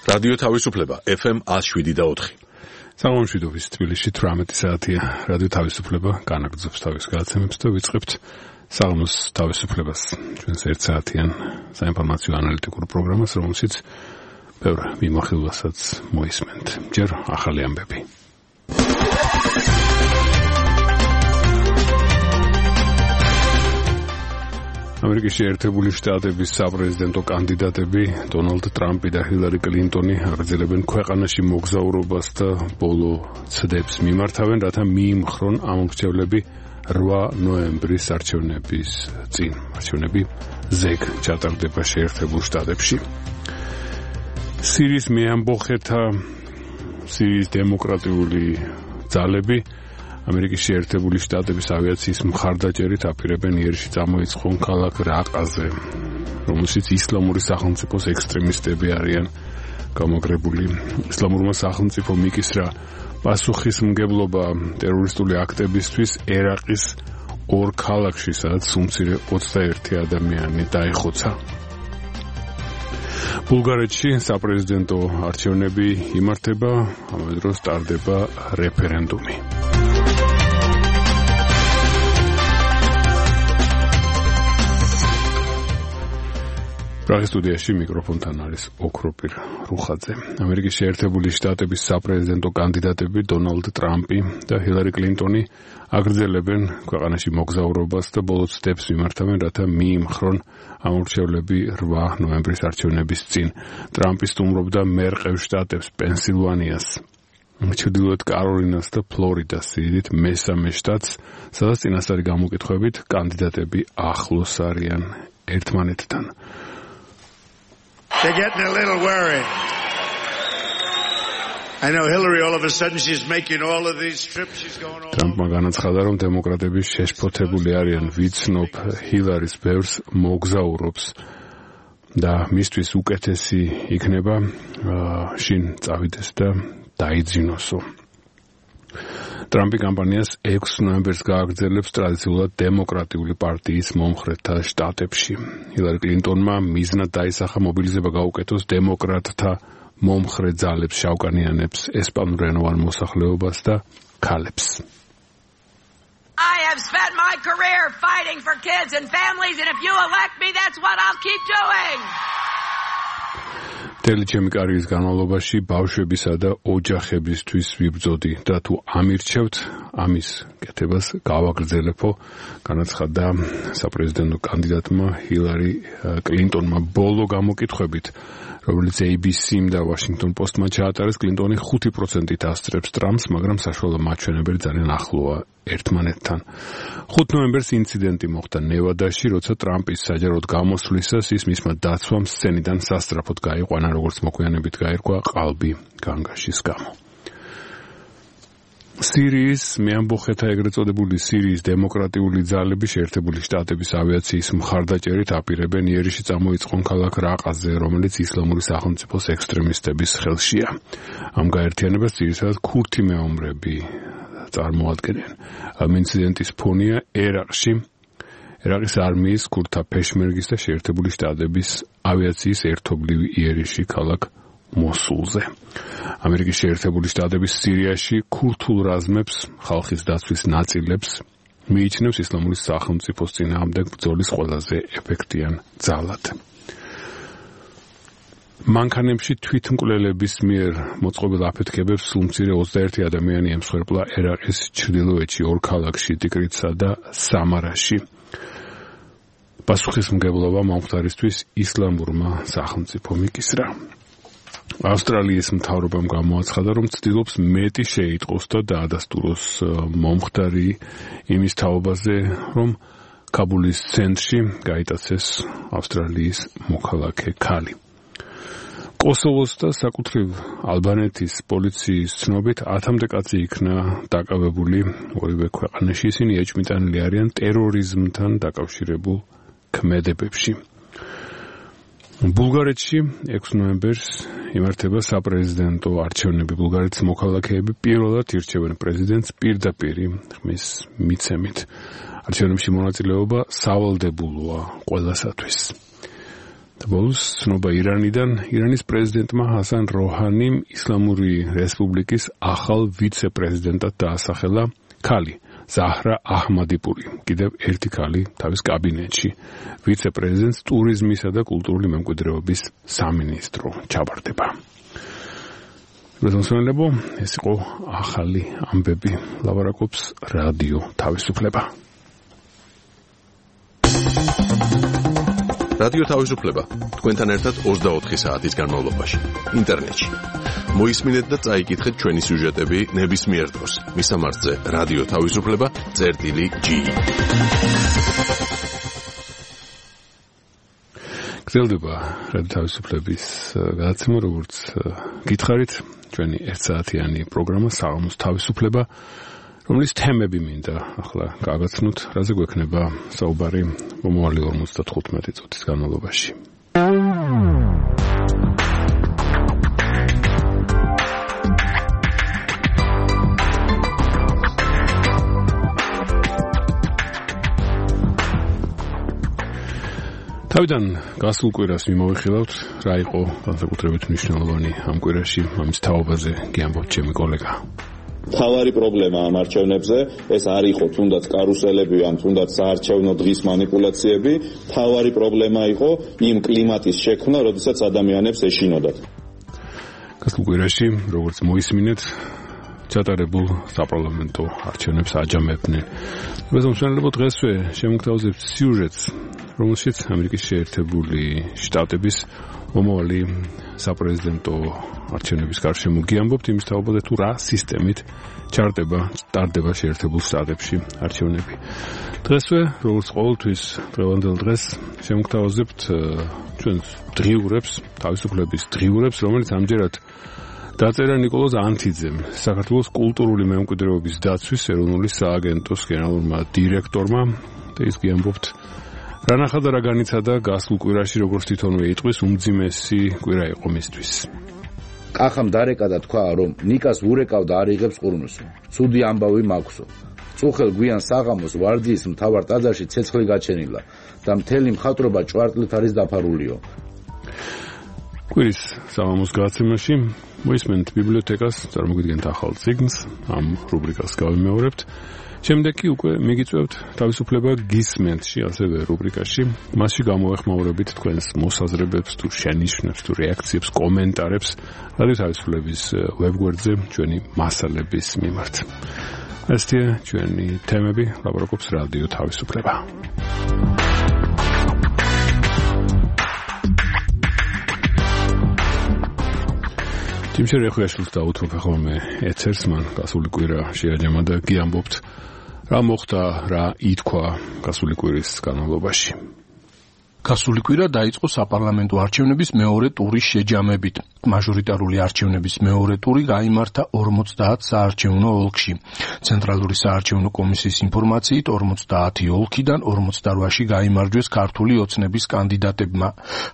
რადიო თავისუფლება FM 107.4. სამომშვიდობის თბილისში 18 საათია. რადიო თავისუფლება განაგრძობს თავის გადაცემებს და ვიწყებთ საღამოს თავისუფლებას. ჩვენს 1 საათიან საინფორმაციო ანალიტიკურ პროგრამას, რომელშიც ბევრ მიმოხილვასაც მოისმენთ. ჯერ ახალი ამბები. ამერიკის შეერთებული შტატების საპრეზიდენტო კანდიდატები დონალდ ტრამპი და ჰილარი კლინტონი აგრძელებენ ქვეყანაში მოგზაურობას და ბოლო ცდებს მიმართავენ, რათა მიიმხრონ ამომრჩევლები 8 ნოემბრის არჩევნების წინ. არჩევნები ზეგ ჩატარდება შეერთებულ შტატებში. სირიის მეამბოხეთა სირიის დემოკრატიული ძალები ამერიკის შეერთებული შტატების ავიაციის მხარდაჭერით აპირებენ იერში წამოიწყონ ქალაქ რაყაზე, რომელშიც ისლამური სახელმწიფოს ექსტრემისტები არიან გამაგრებული. ისლამურმა სახელმწიფომ იკისრა პასუხისმგებლობა ტერორისტული აქტებისთვის ერაყის 2 ქალაქში, სადაც უმცირე 21 ადამიანი დაიხოცა. ბულგარეთში საპრეზიდენტო არჩევნები იმართება, ამავე დროს ტარდება რეფერენდუმი. პრაღის სტუდიაში მიკროფონთან არის ოქროპირ რუხაძე. ამერიკის შეერთებული შტატების საპრეზიდენტო კანდიდატები დონალდ ტრამპი და ჰილარი კლინტონი აგრძელებენ ქვეყანაში მოგზაურობას და ბოლო ცდებს მიმართავენ, რათა მიიმხრონ ამორჩევლები 8 ნოემბრის არჩევნების წინ. ტრამპი სტუმრობდა მერყევ შტატებს პენსილვანიას, ჩრდილოეთ კაროლინას და ფლორიდას, სიდიდით მესამე შტატს, სადაც წინასწარი გამოკითხვებით კანდიდატები ახლოს არიან ერთმანეთთან. They're getting a little worried. I know Hillary all of a sudden she's making all of these trips, she's going all Trumpმა განაცხადა, რომ დემოკრატები შეშფოთებული არიან, ვიცნობ ჰილარის ბევრს მოგზაურობს და მისთვის უკეთესი იქნება შინ წავიდეს და დაიძინოსო. ტრამპი კამპანიას 6 ნოემბერს გააგრძელებს ტრადიციულად დემოკრატიული პარტიის მომხრეთა შტატებში. ჰილარი კლინტონმა მიზნად დაისახა მობილიზება გაუკეთოს დემოკრატთა მომხრე ძალებს, შავკანიანებს, ესპანურენოვან მოსახლეობას და ქალებს. I have spent my career fighting for kids and families, and if you elect me, that's what I'll keep doing. მთელი ჩემი კარიერის განმავლობაში ბავშვებისა და ოჯახებისთვის ვიბრძოდი და თუ ამირჩევთ, ამის კეთებას გავაგრძელებო, განაცხადა საპრეზიდენტო კანდიდატმა ჰილარი კლინტონმა ბოლო გამოკითხვებით, რომელიც ABC-მ და Washington Post-მა ჩაატარეს. კლინტონი 5%-ით ასწრებს ტრამპს, მაგრამ საშუალო მაჩვენებელი ძალიან ახლოა ერთმანეთთან. 5 ნოემბერს ინციდენტი მოხდა ნევადაში, როცა ტრამპის საჯაროდ გამოსვლისას ის მისმა დაცვამ სცენიდან სასწრაფოდ გაიყვანა, როგორც მოგვიანებით გაირკვა ყალბი განგაშის გამო. სირიის მეამბოხეთა ეგრეთ წოდებული სირიის დემოკრატიული ძალები შეერთებული შტატების ავიაციის მხარდაჭერით აპირებენ იერში წამოიწყონ ქალაქ რაყაზე, რომელიც ისლამური სახელმწიფოს ექსტრემისტების ხელშია. ამ გაერთიანებას ძირითადად ქურთი მეომრები წარმოადგენენ. ამ ინციდენტის ფონია ერაყის არმიის ქურთთა პეშმერგის და შეერთებული შტატების ავიაციის ერთობლივი იერიში ქალაქ მოსულზე. ამერიკის შეერთებული შტატების სირიაში ქურთულ რაზმებს, ხალხის დაცვის ნაწილებს მიიჩნევს ისლამური სახელმწიფოს წინააღმდეგ ბრძოლის ყველაზე ეფექტიან ძალად. მანქანებში თვითმკვლელების მიერ მოწყობილ აფეთქებებს უმცირე 21 ადამიანი ემსხვერპლა ერაყის ჩრდილოეთში 2 ქალაქში, ტიკრიტსა და სამარაში. პასუხისმგებლობა მომხდარისთვის ისლამურმა სახელმწიფომ იკისრა. ავსტრალიის მთავრობამ გამოაცხადა, რომ ცდილობს მეტი შეიტყოს და დაადასტუროს მომხდარი იმის თაობაზე, რომ კაბულის ცენტრში გაიტაცეს ავსტრალიის მოქალაქე ქალი. კოსოვოს და საკუთრივ ალბანეთის პოლიციის ცნობით 10-მდე კაცი იქნა დაკავებული ორივე ქვეყანაში. ისინი ეჭვმიტანილი არიან ტერორიზმთან დაკავშირებულ ქმედებებში. ბულგარეთში 6 ნოემბერს იმართება საპრეზიდენტო არჩევნები. ბულგარეთის მოქალაქეები პირველად ირჩევენ პრეზიდენტს პირდაპირ ხმის მიცემით. არჩევნებში მონაწილეობა სავალდებულოა ყველასათვის. ბოლოს ცნობა ირანიდან ირანის პრეზიდენტმა ჰასან როჰანიმ ისლამური რესპუბლიკის ახალ ვიცე-პრეზიდენტად დაასახელა ქალი ზაჰრა აჰმადიპური, კიდევ ერთი ქალი თავის კაბინეტში. ვიცე-პრეზიდენტს ტურიზმისა და კულტურული მემკვიდრეობის სამინისტრო ჩაბარდება. Rozumiem, ეს იყო ახალი ამბები. ლაპარაკობს რადიო თავისუფლება. რადიო თავისუფლება. თქვენთან ერთად 24 საათის განმავლობაში. ინტერნეტში. მოისმინეთ და წაიკითხეთ ჩვენი სიუჟეტები ნებისმიერ დროს. მისამართზე რადიო თავისუფლება.gi. გრძელდება რადიო თავისუფლების გადაცემა, როგორც გითხარით, ჩვენი 1 საათიანი პროგრამა საღამოს თავისუფლება, რომლის თემები მინდა ახლა გაგაცნოთ, რაზე გვექნება საუბარი მომავალი 55 წუთის განმავლობაში. თავიდან გასულ კვირას მიმოვიხილავთ, რა იყო განსაკუთრებით მნიშვნელოვანი ამ კვირაში, ამის თაობაზე გიამბობთ ჩემი კოლეგა. თავარი პრობლემა ამ არჩევნებზე ეს არ იყო თუნდაც კარუსელები ან თუნდაც საარჩევნო დღის манипуляციები, თავარი პრობლემა იყო იმ კლიმატის შექმნა, როდესაც ადამიანებს ეშინოდათ. გასულ კვირაში, როგორც მოისმინეთ, ჩატარებულ საპარლამენტო არჩევნებს აჯამებდნენ. безумовно, დღესვე შემოგთავაზებთ სიუჟეტს, რომელშიც ამერიკის შეერთებული შტატების მომავალი საპრეზიდენტო არჩევნების გარშემო გიამბობთ იმის თაობაზე, თუ რა სისტემით ტარდება შეერთებულ შტატებში არჩევნები. დღესვე, როგორც ყოველთვის, დღევანდელ დღეს შემოგთავაზებთ ჩვენს დღიურებს, თავისუფლების დღიურებს, რომელიც ამჯერად დაწერა ნიკოლოზ ანთიძემ, საქართველოს კულტურული მემკვიდრეობის დაცვის ეროვნული სააგენტოს გენერალურმა დირექტორმა, და ის გიამბობთ რა ნახა და რა განიცადა გასულ კვირაში, როგორც თვითონვე იტყვის, უმძიმესი კვირა იყო მისთვის. კახამ დარეკა და თქვა, რომ ნიკას ურეკავ და არ იღებს ყურნოსო. ცუდი ამბავი მაქვსო. წუხელ გვიან საღამოს ვარდიის მთავარ ტაძარში ცეცხლი გაჩენილა და მთელი მხატვრობა ჭვარტლით არის დაფარულიო. კვირის საღამოს გადაცემაში მოისმენთ ბიბლიოთეკას, წარმოგიდგენთ ახალ წიგნს, ამ რუბრიკას გავიმეორებთ. შემდეგ კი უკვე მიგიწევთ თავისუფლება გისმენთში, ასევე რუბრიკაში. მასში გამოვეხმაურებით თქვენს მოსაზრებებს, თუ შენიშვნებს, თუ რეაქციებს, კომენტარებს რადიო თავისუფლების ვებგვერდზე ჩვენი მასალების მიმართ. ესეთი ჩვენი თემები, ლაპარაკობს რადიო თავისუფლება. ჯიმშერეხუაშვილს დაუთმობ ახლა მე ეთერს, მან გასული კვირა შეაჯამა და გიამბობთ რა მოხდა, რა ითქვა გასული კვირის განმავლობაში. გასული კვირა დაიწყო საპარლამენტო არჩევნების მეორე ტურის შეჯამებით. მაჟორიტარული არჩევნების მეორე ტური გაიმართა 50 საარჩევნო ოლქში. ცენტრალური საარჩევნო კომისიის ინფორმაციით 50 ოლქიდან 48-ში გაიმარჯვეს ქართული ოცნების კანდიდატებმა.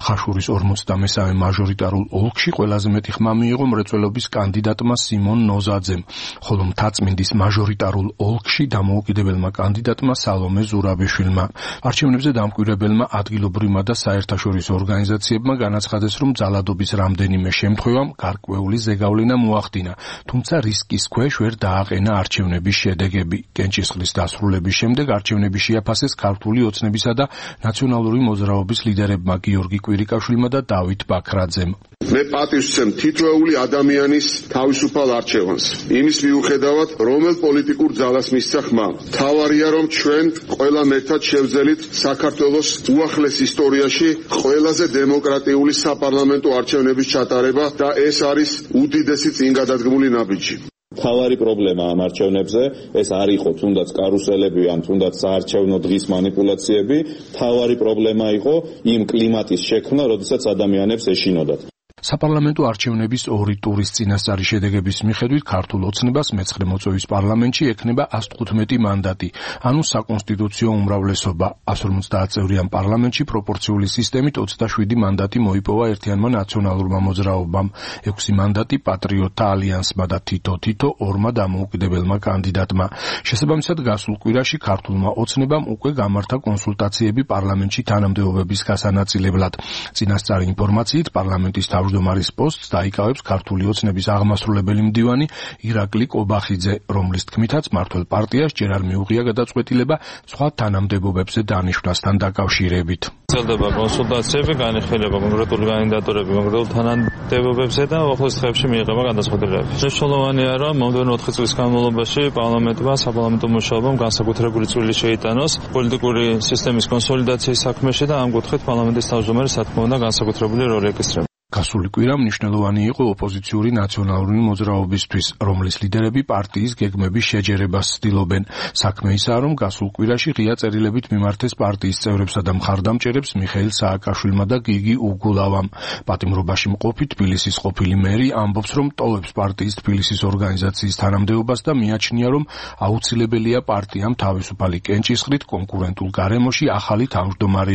ხაშურის 53-ე მაჟორიტარულ ოლქში ყველაზე მეტი ხმა მიიღო მრეწველობის კანდიდატმა სიმონ ნოზაძემ, ხოლო მთაწმინდის მაჟორიტარულ ოლქში დამოუკიდებელმა კანდიდატმა სალომე ზურაბიშვილმა. არჩევნებზე დამკვირვებელმა ადგილობრივმა და საერთაშორისო ორგანიზაციებმა განაცხადეს, რომ ძალადობის რამდენიმე შემთხვევამ გარკვეული ზეგავლენა მოახდინა, თუმცა რისკის ქვეშ ვერ დააყენა არჩევნების შედეგები. კენჭისყრის დასრულების შემდეგ არჩევნები შეაფასეს ქართული ოცნებისა და ნაციონალური მოძრაობის ლიდერებმა გიორგი კვირიკაშვილმა და დავით ბაქრაძემ. მე პატივს ვცემ თითოეული ადამიანის თავისუფალ არჩევანს. იმის მიუხედავად, რომელ პოლიტიკურ ძალას მისცა ხმა. თავარია, რომ ჩვენ ყველა მეტად შევძელით საქართველოს უახლეს ისტორიაში ყველაზე დემოკრატიული საპარლამენტო არჩევნების ჩატარება და ეს არის უდიდესი წინგადადგმული ნაბიჯი. თავარი პრობლემა ამ არჩევნებზე ეს არ იყო თუნდაც კარუსელები ან თუნდაც საარჩევნო დღის манипуляციები, თავარი პრობლემა იყო იმ კლიმატის შექმნა, როდესაც ადამიანებს ეშინოდათ. საპარლამენტო არჩევნების ორი ტურის წინასწარი შედეგების მიხედვით ქართულ ოცნებას მეცხრე მოწვევის პარლამენტში ექნება 115 მანდატი, ანუ საკონსტიტუციო უმრავლესობა. 150 წევრიან პარლამენტში პროპორციული სისტემით 27 მანდატი მოიპოვა ერთიანმა ნაციონალურმა მოძრაობამ, 6 მანდატი პატრიოტთა ალიანსმა და თითო ორმა დამოუკიდებელმა კანდიდატმა. შესაბამისად, გასულ კვირაში ქართულმა ოცნებამ უკვე გამართა კონსულტაციები პარლამენტში თანამდებობების გასანაწილებლად. წინასწარი ინფორმაციით პარლამენტის თავმჯდომარის პოსტს დაიკავებს ქართული ოცნების აღმასრულებელი მდივანი ირაკლი კობახიძე, რომლის თქმითაც მმართველ პარტიას ჯერ არ მიუღია გადაწყვეტილება სხვა თანამდებობებზე დანიშვნასთან დაკავშირებით. ძლდება კონსულტაციები, განიხილება კონკრეტული კანდიდატურები კონკრეტულ თანამდებობებზე და უახლოეს დღეებში მიიღება გადაწყვეტილებები. მნიშვნელოვანია, რომ მომდევნო 4 წლის განმავლობაში პარლამენტმა საპარლამენტო მუშაობამ განსაკუთრებული წვლილი შეიტანოს პოლიტიკური სისტემის კონსოლიდაციის საქმეში და ამ კუთხით პარლამენტის თავმჯდომარე რა თქმა უნდა განსაკუთრებული როლი ეკისრება. გასული კვირა მნიშვნელოვანი იყო ოპოზიციური ნაციონალური მოძრაობისთვის, რომლის ლიდერები პარტიის გეგმების შეჯერებას ცდილობენ. საქმე ისაა, რომ გასულ კვირაში ღია წერილებით მიმართეს პარტიის წევრებსა და მხარდამჭერებს მიხეილ სააკაშვილმა და გიგი უგულავამ. პატიმრობაში მყოფი თბილისის ყოფილი მერი ამბობს, რომ ტოვებს პარტიის თბილისის ორგანიზაციის თანამდებობას და მიაჩნია, რომ აუცილებელია პარტიამ თავისუფალი კენჭისყრით კონკურენტულ გარემოში ახალი თავმჯდომარე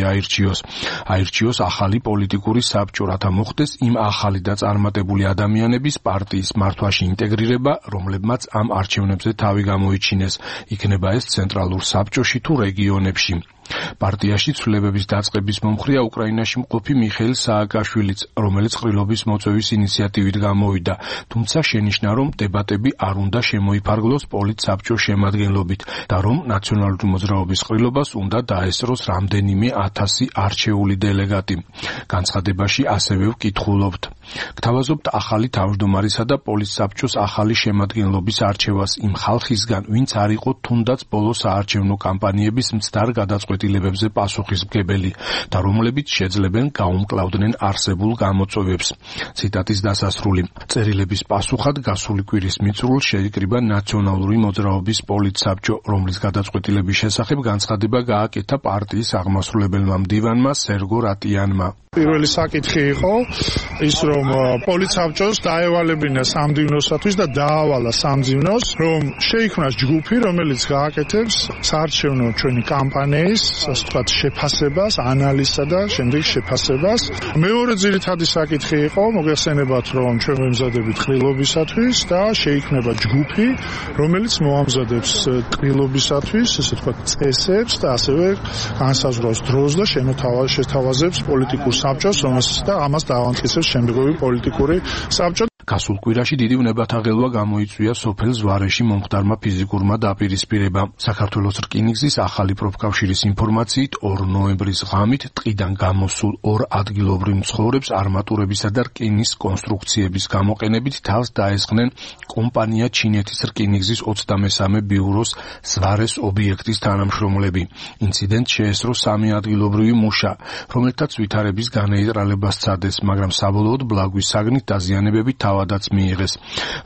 აირჩიოს ახალი პოლიტიკური საბჭო, რათა მოხდეს იმ ახალი და წარმატებული ადამიანების პარტიის მართვაში ინტეგრირება, რომლებმაც ამ არჩევნებზე თავი გამოიჩინეს, იქნება ეს ცენტრალურ საბჭოში თუ რეგიონებში. პარტიაში ცვლილებების დაწყების მომხრეა უკრაინაში მყოფი მიხეილ სააკაშვილიც, რომელიც ყრილობის მოწვევის ინიციატივით გამოვიდა, თუმცა შენიშნა, რომ დებატები არ უნდა შემოიფარგლოს პოლიტსაბჭოს შემადგენლობით და რომ ნაციონალური მოძრაობის ყრილობას უნდა დაესწროს რამდენიმე 1000 არჩეული დელეგატი. განცხადებაში ასევე ვკითხულობთ. გთავაზობთ ახალი თავმჯდომარისა და პოლიტსაბჭოს ახალი შემადგენლობის არჩევას იმ ხალხისგან, ვინც არ იყო თუნდაც ბოლო საარჩევნო კამპანიების მცდარ გადაწყვეტილებებზე პასუხისმგებელი და რომლებიც შეძლებენ გაუმკლავდნენ არსებულ გამოწვევებს. ციტატის დასასრული. წერილების პასუხად გასული კვირის მიწურულს შეიკრიბა ნაციონალური მოძრაობის პოლიტსაბჭო, რომლის გადაწყვეტილების შესახებ განცხადება გააკეთა პარტიის აღმასრულებელმა მდივანმა სერგო რატიანმა. პირველი საკითხი იყო ის, რომ პოლიტსაბჭოს დაევალებინა სამდივნოსათვის და დაავალა სამძივნოს, რომ შეიქმნას ჯგუფი, რომელიც გააკეთებს საარჩევნო ჩვენი კამპანიის, ასე ვთქვათ, შეფასებას, ანალიზსა და შემდეგ შეფასებას. მეორე ძირითადი საკითხი იყო, მოგეხსენებათ, რომ ჩვენ ვემზადებით ყრილობისათვის და შეიქმნება ჯგუფი, რომელიც მოამზადებს ყრილობისათვის, ასე ვთქვათ, წესებს და ასევე განსაზღვრავს დროს და შეთავაზებს პოლიტიკურ საბჭოს, რომელსაც და ამას დაავანტკიცებს შემდგომი პოლიტიკური საბჭო. გასულ კვირაში დიდი უნებათაღელვა გამოიწვია სოფელ ზვარეში მომხდარმა ფიზიკურმა დაპირისპირებამ. საქართველოს რკინიგზის ახალი პროფკავშირის ინფორმაციით 2 ნოემბრის ღამით ტყიდან გამოსულ 2 ადგილობრივ მცხოვრებს არმატურებისა და რკინის კონსტრუქციების გამოყენებით თავს დაესხნენ კომპანია ჩინეთის რკინიგზის 23 ბიუროს ზვარეს ობიექტის თანამშრომლები. ინციდენტს შეესწრო 3 ადგილობრივი მუშა, რომელთაც ვითარების განეიტრალება სცადეს, მაგრამ საბოლოოდ ბლაგვის საგნით დაზიანებებით თავადაც მიიღეს.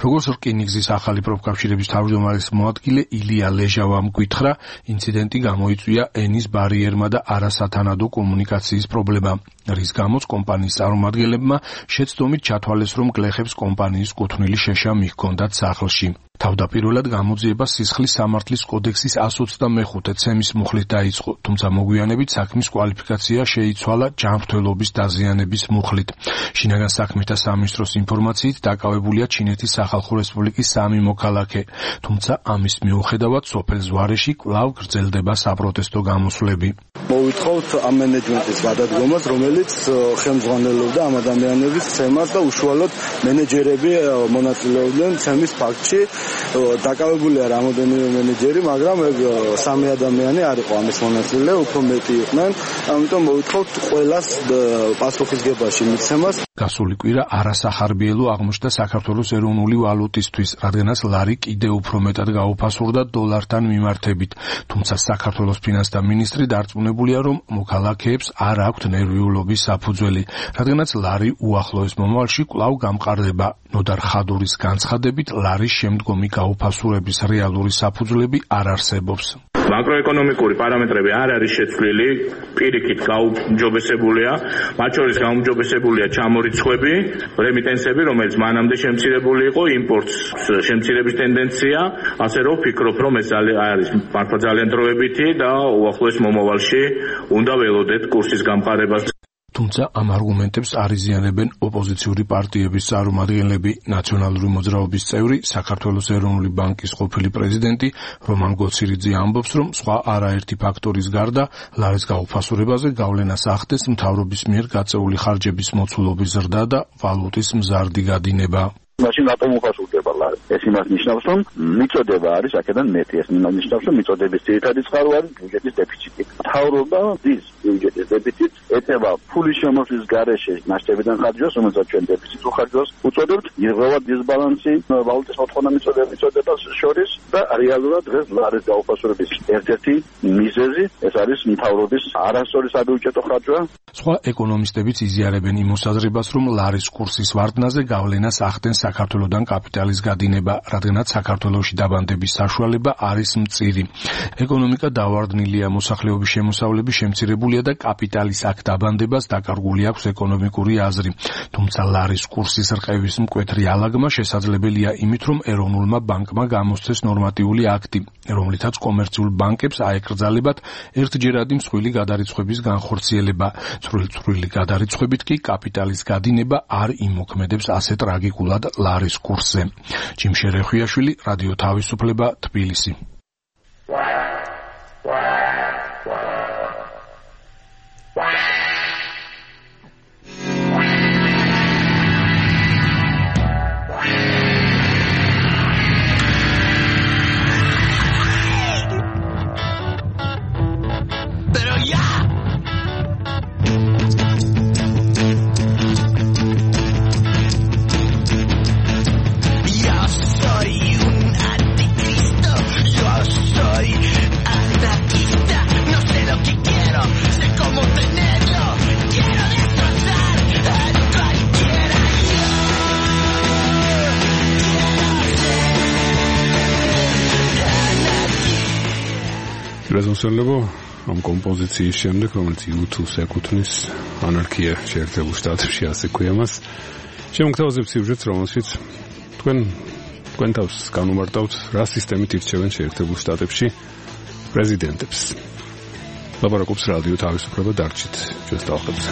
როგორც რკინიგზის ახალი პროფკავშირების თავმჯდომარის მოადგილე ილია ლეჟავამ გვითხრა, ინციდენტი გამოიწვია ენის ბარიერმა და არასათანადო კომუნიკაციის პრობლემამ, რის გამოც კომპანიის წარმომადგენლებმა შეცდომით ჩათვალეს, რომ გლეხებს კომპანიის კუთვნილი შეშა მიჰქონდათ სახლში. თავდაპირველად გამოძიება სისხლის სამართლის კოდექსის 125 ცემის მუხლით დაიწყო, თუმცა მოგვიანებით საქმის კვალიფიკაცია შეიცვალა ჯანმრთელობის დაზიანების მუხლით. შინაგან საქმეთა სამინისტროს ინფორმაციით დაკავებულია ჩინეთის სახალხო რესპუბლიკის 3 მოქალაქე, თუმცა ამის მიუხედავად სოფელ ზვარეში კვლავ გრძელდება საპროტესტო გამოსვლები. მოვითხოვთ ამ მენეჯმენტის გადადგომას, რომელიც ხელმძღვანელობდა ამ ადამიანების ცემას და უშუალოდ მენეჯერები მონაწილეობდნენ ცემის ფაქტში. დაკავებულია რამოდენიმე მენეჯერი, მაგრამ 3 ადამიანი არ იყო ამის მონაწილე, უფრო მეტი იყვნენ, ამიტომ მოვითხოვთ ყველას პასუხისგებაში მიცემას. გასული კვირა არასახარბიელო აღმოჩნდა საქართველოს ეროვნული ვალუტისთვის, რადგანაც ლარი კიდევ უფრო მეტად გაუფასურდა დოლართან მიმართებით, თუმცა საქართველოს ფინანსთა მინისტრი დარწმუნებულია, რომ მოქალაქეებს არ აქვთ ნერვიულობის საფუძველი, რადგანაც ლარი უახლოეს მომავალში კვლავ გამყარდება. ნოდარ ხადურის განცხადებით, ლარის შემდგომი გაუფასურების რეალური საფუძვლები არ არსებობს. Makroekonomიკური პარამეტრები არ არის შეცვლილი, პირიქით გაუმჯობესებულია, მათ შორის გაუმჯობესებულია ჩამორიცხვები, რემიტენსები, რომელიც მანამდე შემცირებული იყო, იმპორტს შემცირების ტენდენცია, ასე რომ ვფიქრობ, რომ ეს არის მართლა ძალიან დროებითი და უახლოეს მომავალში უნდა ველოდეთ კურსის გამყარებას. თუმცა ამ არგუმენტებს არ იზიანებენ ოპოზიციური პარტიების წარმომადგენლები. ნაციონალური მოძრაობის წევრი, საქართველოს ეროვნული ბანკის ყოფილი პრეზიდენტი რომან გოცირიძე ამბობს, რომ სხვა არაერთი ფაქტორის გარდა ლარის გაუფასურებაზე გავლენას ახდენს მთავრობის მიერ გაწეული ხარჯების მოცულობის ზრდა და ვალუტის მზარდი გადინება. მაშინ რატომ უფასურდება ლარი? ეს იმას ნიშნავს, რომ მიწოდება არის აქედან მეტი. ეს ნიშნავს, რომ მიწოდების ძირითადი წყარო არის ბიუჯეტის დეფიციტი. მთავრობა დის ბიუჯეტის დეფიციტს ეტევა ფულის შემოსვლის გარეშე მასშტაბიდან ხარჯვას, რომელსაც ჩვენ დეფიციტს უხარჯვას უწოდებთ, ირღვევა დისბალანსი ვალუტის მოთხოვნა მიწოდებას შორის და რეალურად დღეს ლარის გაუფასურების ერთ-ერთი მიზეზი ეს არის მთავრობის არასწორი საბიუჯეტო ხარჯვა. სხვა ეკონომისტებიც იზიარებენ იმ მოსაზრებას, რომ ლარის კურსის ვარდნაზე გავლენას ახდენს საქართველოსთან კაპიტალის გადინება, რადგანაც საქართველოში დაბანდების საშუალება არის მწირი. ეკონომიკა დავარდნილია, მოსახლეობის შემოსავლები შემცირებულია და კაპიტალის აქ დაბანდებას დაკარგული აქვს ეკონომიკური აზრი. თუმცა ლარის კურსის რყევის მკვეთრი ალაგმა შესაძლებელია იმით, რომ ეროვნულმა ბანკმა გამოსცეს ნორმატიული აქტი, რომლითაც კომერციულ ბანკებს აეკრძალებათ ერთჯერადი მსხვილი გადარიცხვების განხორციელება. წვრილი გადარიცხვებით კი კაპიტალის გადინება არ იმოქმედებს ასე ტრაგიკულად ლარის კურსზე. ჯიმშე რეხვიაშვილი, რადიო თავისუფლება, თბილისი. რეზონსელებო ამ კომპოზიციის შემდეგ, რომელიც YouTube-ს ეკუთვნის ანარქია შეერთებულ შტატებში, ასე ქვია მას, შემოგთავაზებ სიუჟეტს, რომელშიც თქვენ თავს განუმარტავთ, რა სისტემით ირჩევენ შეერთებულ შტატებში პრეზიდენტებს. ლაპარაკობს რადიო თავისუფლება, დარჩით ჩვენს ტალღებზე.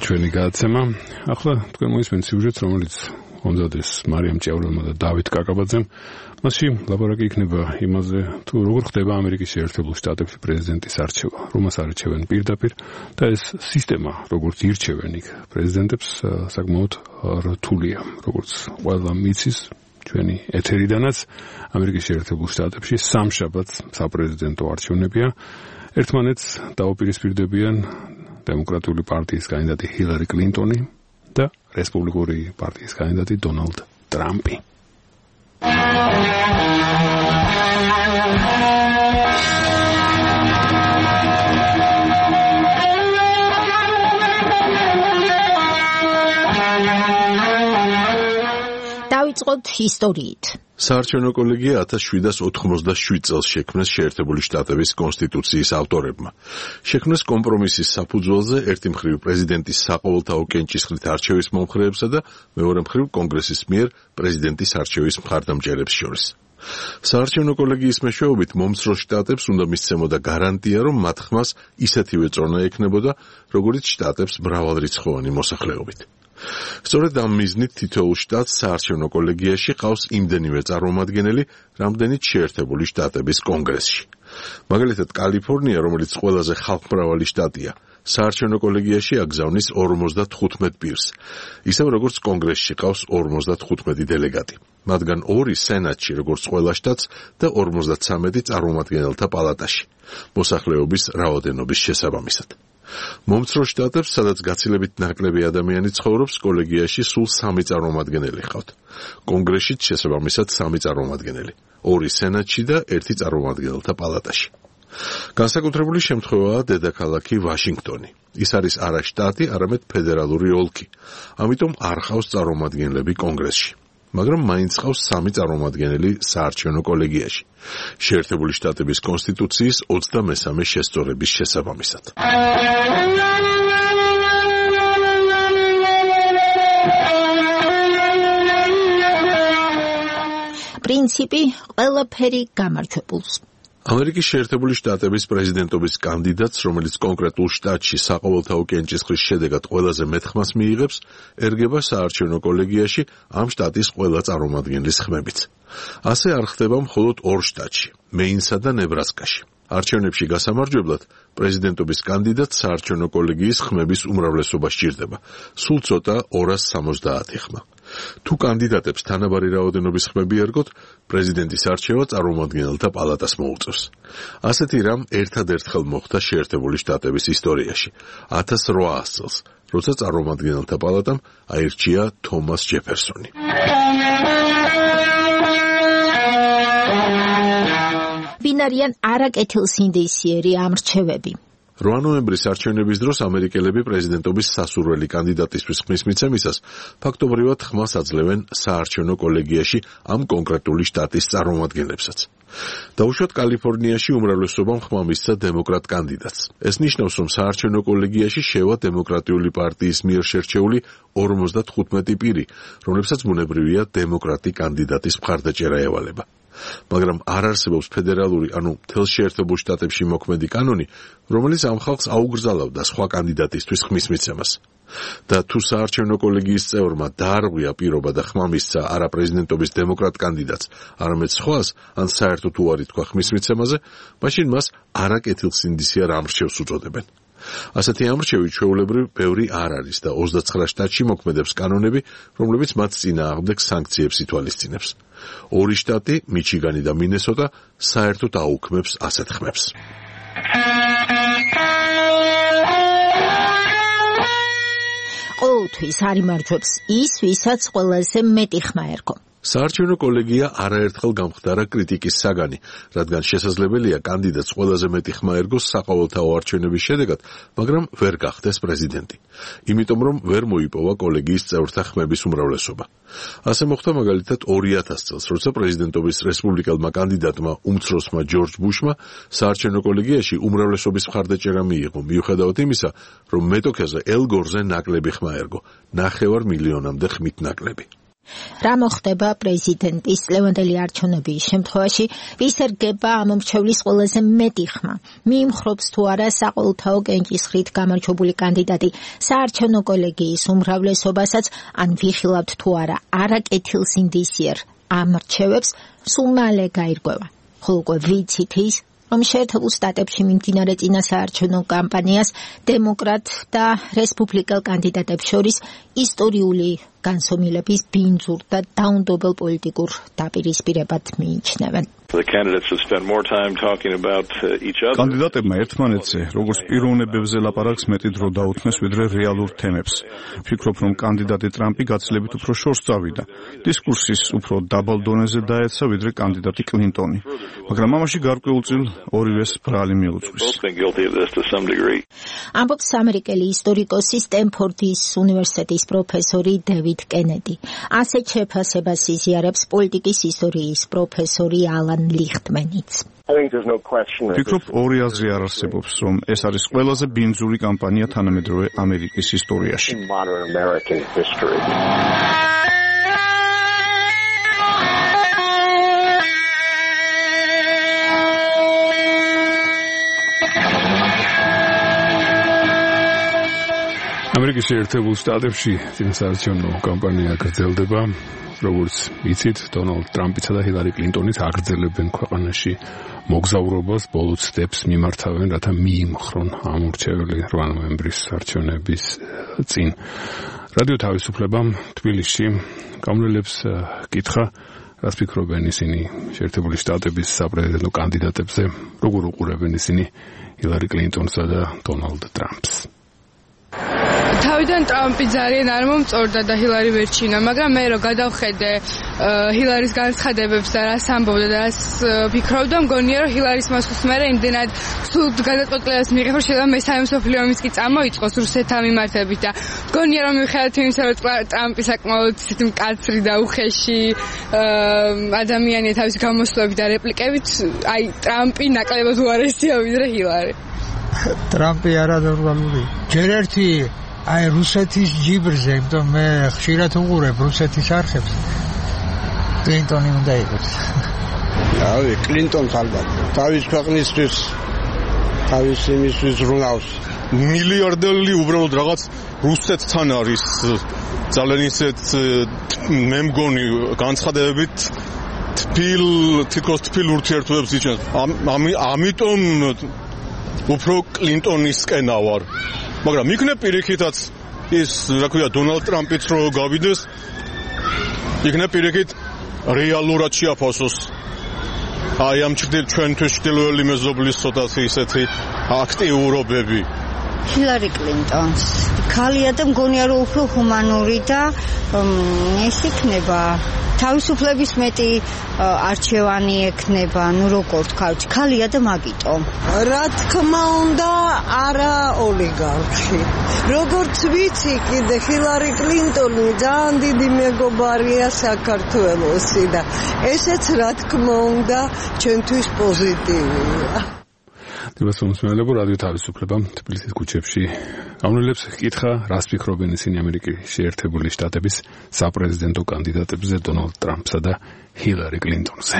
ჩვენი გადაცემა. ახლა თქვენ მოისმენთ სიუჟეტს, რომელიც ონზადეს მარიამ ჭიაურელმა და დავით კაკაბაძემ. მასში ლაპარაკი იქნება იმაზე, თუ როგორ ხდება ამერიკის შეერთებულ შტატებში პრეზიდენტის არჩევა, რომას არჩევენ პირდაპირ და ეს სისტემა, როგორც ირჩევენ იქ პრეზიდენტებს, საკმაოდ რთულია, როგორც ყველა მიცის ჩვენი ეთერიდანაც. ამერიკის შეერთებულ შტატებში სამშაბათს საპრეზიდენტო არჩევნებია. ერთმანეთს დაუპირისპირდებიან დემოკრატიული პარტიის კანდიდატი ჰილარი კლინტონი და რესპუბლიკური პარტიის კანდიდატი დონალდ ტრამპი. დავიწყოთ ისტორიით. საარჩევნო კოლეგია 1787 წელს შექმნეს შეერთებული შტატების კონსტიტუციის ავტორებმა. შექმნეს კომპრომისის საფუძველზე ერთი მხრივ პრეზიდენტის საყოველთაო კენჭისყრით არჩევის მომხრეებსა და მეორე მხრივ კონგრესის მიერ პრეზიდენტის არჩევის მხარდამჭერებს შორის. საარჩევნო კოლეგიის მეშვეობით მომცრო შტატებს უნდა მისცემოდა გარანტია, რომ მათ ხმას ისეთივე წონა ექნებოდა, როგორც შტატებს მრავალრიცხოვანი მოსახლეობით. სწორედ ამ მიზნით თითოეულ შტატს საარჩევნო კოლეგიაში ყავს იმდენივე წარმომადგენელი, რამდენიც შეერთებული შტატების კონგრესში. მაგალითად, კალიფორნია, რომელიც ყველაზე ხალხმრავალი შტატია, საარჩევნო კოლეგიაში აგზავნის 55 პირს, ისევ როგორც კონგრესში ყავს 55 დელეგატი. მათგან 2 სენატში, როგორც ყველა შტატს და 53 წარმომადგენელთა პალატაში, მოსახლეობის რაოდენობის შესაბამისად. მომცრო შტატებს, სადაც გაცილებით ნაკლები ადამიანი ცხოვრობს, კოლეგიაში სულ 3 წარმომადგენელი ჰყავთ. კონგრესშიც შესაბამისად 3 წარმომადგენელი, 2 სენატში და 1 წარმომადგენელთა პალატაში. განსაკუთრებული შემთხვევაა დედაქალაქი ვაშინგტონი. ის არის არა შტატი, არამედ ფედერალური ოლქი. ამიტომ არ ჰყავს წარმომადგენლები კონგრესში. მაგრამ მაინც ჰყავს 3 წარმომადგენელი საარჩევნო კოლეგიაში, შეერთებული შტატების კონსტიტუციის 23 შესწორების შესაბამისად. პრინციპი ყველაფერი გამარჯვებულს. ამერიკის შეერთებული შტატების პრეზიდენტობის კანდიდატს, რომელიც კონკრეტულ შტატში საყოველთაო კენჭისყრის შედეგად ყველაზე მეტ ხმას მიიღებს, ერგება საარჩევნო კოლეგიაში ამ შტატის ყველა წარმომადგენლის ხმებით. ასე არ ხდება მხოლოდ 2 შტატში, მეინსა და ნებრასკაში. არჩევნებში გასამარჯვებლად პრეზიდენტობის კანდიდატს საარჩევნო კოლეგიის ხმების უმრავლესობა სჭირდება, სულ ცოტა 270 ხმა. თუ კანდიდატებს თანაბარი რაოდენობის ხმები ერგოთ, პრეზიდენტის არჩევა წარმომადგენელთა პალატას მოუწევს. ასეთი რამ ერთადერთხელ მოხდა შეერთებული შტატების ისტორიაში, 1800 წელს, როცა წარმომადგენელთა პალატამ აირჩია თომას ჯეფერსონი. ვინ არიან არაკეთილსინდისიერი ამრჩევები? 8 ნოემბრის არჩევნების დროს ამერიკელები პრეზიდენტობის სასურველი კანდიდატისთვის ხმის მიცემისას ფაქტობრივად ხმას აძლევენ საარჩევნო კოლეგიაში ამ კონკრეტული შტატის წარმომადგენლებსაც. დაუშვათ კალიფორნიაში უმრავლესობამ ხმა მისცა დემოკრატ კანდიდატს. ეს ნიშნავს, რომ საარჩევნო კოლეგიაში შევა დემოკრატიული პარტიის მიერ შერჩეული 55 პირი, რომლებსაც ბუნებრივია დემოკრატი კანდიდატის მხარდაჭერა ევალება. მაგრამ არ არსებობს ფედერალური, ანუ მთელ შეერთებულ შტატებში მოქმედი კანონი, რომელიც ამ ხალხს აუგრძალავდა სხვა კანდიდატისთვის ხმის მიცემას. და თუ საარჩევნო კოლეგიის წევრმა დაარღვია პირობა და ხმა მისცა არა პრეზიდენტობის დემოკრატ კანდიდატს, არამედ სხვას, ან საერთოდ უარი თქვა ხმის მიცემაზე, მაშინ მას არაკეთილსინდისიერ ამრჩევს უწოდებენ. ასეთი ამრჩევი ჩვეულებრივ ბევრი არ არის და 29 შტატში მოქმედებს კანონები, რომლებიც მათ წინააღმდეგ სანქციებს ითვალისწინებს. 2 შტატი, მიჩიგანი და მინესოტა, საერთოდ აუქმებს ასეთ ხმებს. ყოველთვის არ იმარჯვებს ის, ვისაც ყველაზე მეტი ხმა ერგო. საარჩევნო კოლეგია არაერთხელ გამხდარა კრიტიკის საგანი, რადგან შესაძლებელია კანდიდატს ყველაზე მეტი ხმა ერგოს საყოველთაო არჩევნების შედეგად, მაგრამ ვერ გახდეს პრეზიდენტი. იმიტომ რომ ვერ მოიპოვა კოლეგიის წევრთა ხმების უმრავლესობა. ასე მოხდა მაგალითად 2000 წელს, როცა პრეზიდენტობის რესპუბლიკელმა კანდიდატმა უმცროსმა ჯორჯ ბუშმა საარჩევნო კოლეგიაში უმრავლესობის მხარდაჭერა მიიღო, მიუხედავად იმისა, რომ მეტოქეზე ელ გორზე ნაკლები ხმა ერგო, 9 მილიონამდე ხმით ნაკლები. რა მოხდება პრეზიდენტის ლევანდელი არჩევნების შემთხვევაში, ვის ერგება ამ მრჩევლის ყველაზე მეტი ხმა? მიიმხრობს თუ არა საყოველთაო კენჭისყრით გამარჯვებული კანდიდატი საარჩევნო კოლეგიის უმრავლესობასაც, ან ვიხილავთ თუ არა არაკეთილსინდისიერ ამრჩევებს, სულ მალე გაირკვევა. ხოლო უკვე ვიცით ის, რომ შეერთებულ შტატებში მიმდინარე წინასაარჩევნო კამპანიას დემოკრატ და რესპუბლიკელ კანდიდატებს შორის ისტორიული განსომილების ბინძურ და დაუნდობელ პოლიტიკურ დაპირისპირებად მიიჩნევენ. კანდიდატებმა ერთმანეთზე, როგორც პიროვნებებზე ლაპარაკს მეტი დრო დაუთმეს, ვიდრე რეალურ თემებს. ვფიქრობ, რომ კანდიდატი ტრამპი გაცილებით უფრო შორს წავიდა. დისკურსის უფრო დაბალ დონეზე დაეცა, ვიდრე კანდიდატი კლინტონი. მაგრამ ამაში გარკვეულწილ ორივეს ბრალი მიუძღვის. ამბობს ამერიკელი ისტორიკოსი სტენფორდის უნივერსიტეტის პროფესორი დევიდ კენედი. ასეთ შეფასებას იზიარებს პოლიტიკის ისტორიის პროფესორი ალან ლიხტმენიც. ვფიქრობ, ორი აზრი არ არსებობს, რომ ეს არის ყველაზე ბინძური კამპანია თანამედროვე ამერიკის ისტორიაში. ამერიკის შეერთებულ შტატებში წინასაარჩევნო კამპანია გრძელდება. როგორც იცით, დონალდ ტრამპისა და ჰილარი კლინტონის აგრძელებენ ქვეყანაში მოგზაურობას, ბოლო ცდებს მიმართავენ, რათა მიიმხრონ ამორჩეველი 8 ნოემბრის არჩევნების წინ. რადიო თავისუფლებამ თბილისში გამონელებს კითხა, რას ფიქრობენ ისინი შეერთებული შტატების საპრეზიდენტო კანდიდატებზე, როგორ უყურებენ ისინი ჰილარი კლინტონსა და დონალდ ტრამპს. თავიდან ტრამპი ძალიან არ მომწორდა და ჰილარი ვერჩინა, მაგრამ მე რო გადავხედე ჰილარის განცხადებებს და რას ამბობდა და რას ფიქრობდა, მგონია რომ ჰილარის მასუს მერე იმდენად სულ გადაწყვეტილებას მიიღებს, რომ შეიძლება მესამე მსოფლიო ომიც კი წამოიწყოს რუსეთთან მიმართებით და მგონია რომ მიუხედავად იმისა, რომ ტრამპი საკმაოდ ისეთი მკაცრი და უხეში ადამიანია თავისი გამოსვლებით და რეპლიკებით, აი ტრამპი ნაკლებად უარესია ვიდრე ჰილარი. ტრამპი არანორმალური. ჯერ ერთი აი რუსეთის ჯიბრზე, იმიტომ მე ხშირად უყურებ რუსეთის არხებს. კლინტონი უნდა იყოს. აი, კლინტონს ალბათ. თავის ქვეყნისთვის, თავის იმისთვის ბრუნავს. მილიარდელი უბრალოდ რაღაც რუსეთთან არის ძალიან ისეთ მე მგონი განცხადებებით თითქოს თბილ ურთიერთობებს იჩენს. ამიტომ უფრო კლინტონისკენ ავარ. მაგრამ იქნებ პირიქითაც ის, რა ქვია, დონალდ ტრამპიც რო გავიდეს, იქნებ პირიქით რეალურად შეაფასოს. აი ამ ჩვენთვის ჩრდილოელი მეზობლის ცოტათი ისეთი აქტიურობები. ჰილარი კლინტონს ქალია და მგონია რომ უფრო ჰუმანური და ეს იქნება თავისუფლების მეტი არჩევანი ექნება, ну როგორ თქვა, ქალია და მაგიტომ. რა თქმა უნდა, არა ოლიგარქი. როგორც ვიცი, კიდე ჰილარი კლინტონი ძალიან დიდი მეგობარია საქართველოსი და ესეც რა თქმა უნდა ჩვენთვის პოზიტივია. დიასომსმელებო რადიო თავისუფლება თბილისის ქუჩებში გამონელებს კითხა, რას ფიქრობენ ისინი ამერიკის შეერთებული შტატების საპრეზიდენტო კანდიდატებზე დონალდ ტრამპსა და ჰილარი კლინტონზე.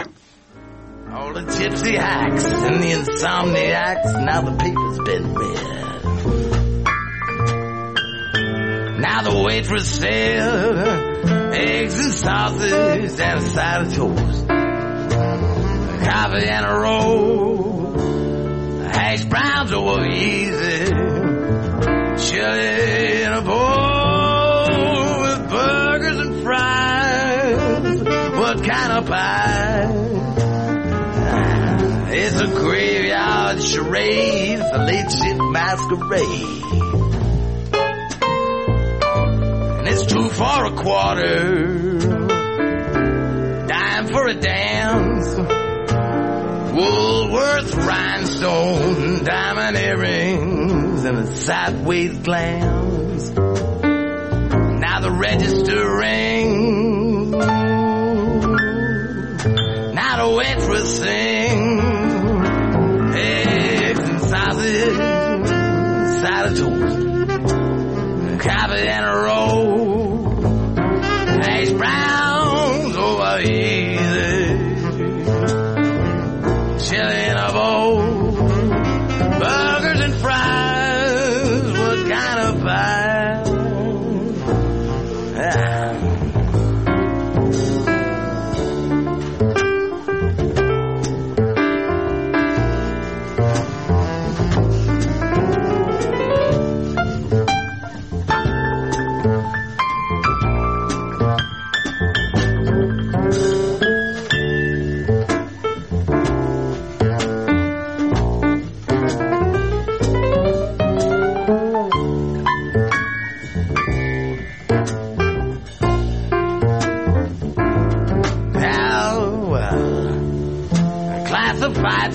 All the gypsy hacks and the insomniacs, now the paper's been read. Now the waitress said eggs and sausage and a side of toast, coffee and a roll, hash browns over easy, chili in a bowl with burgers and fries. What kind of pie? It's a graveyard charade, the late shift masquerade. And it's 2 for a quarter, dime for a dance, Woolworth rhinestone, diamond earrings, and a sideways glance. Now the register rings, now the waitress sings, eggs and sausage, side of toast, coffee and a roll, hash browns over easy, chili in a bowl, burgers and fries. What kind of pie?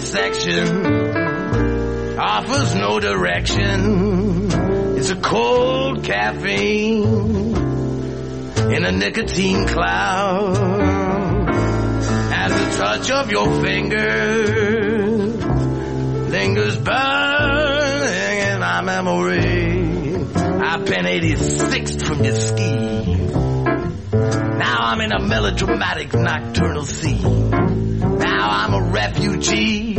Section offers no direction. It's a cold caffeine in a nicotine cloud. As the touch of your fingers lingers burning in my memory. I've been 86th from your scheme. Now I'm in a melodramatic nocturnal scene. Now I'm a refugee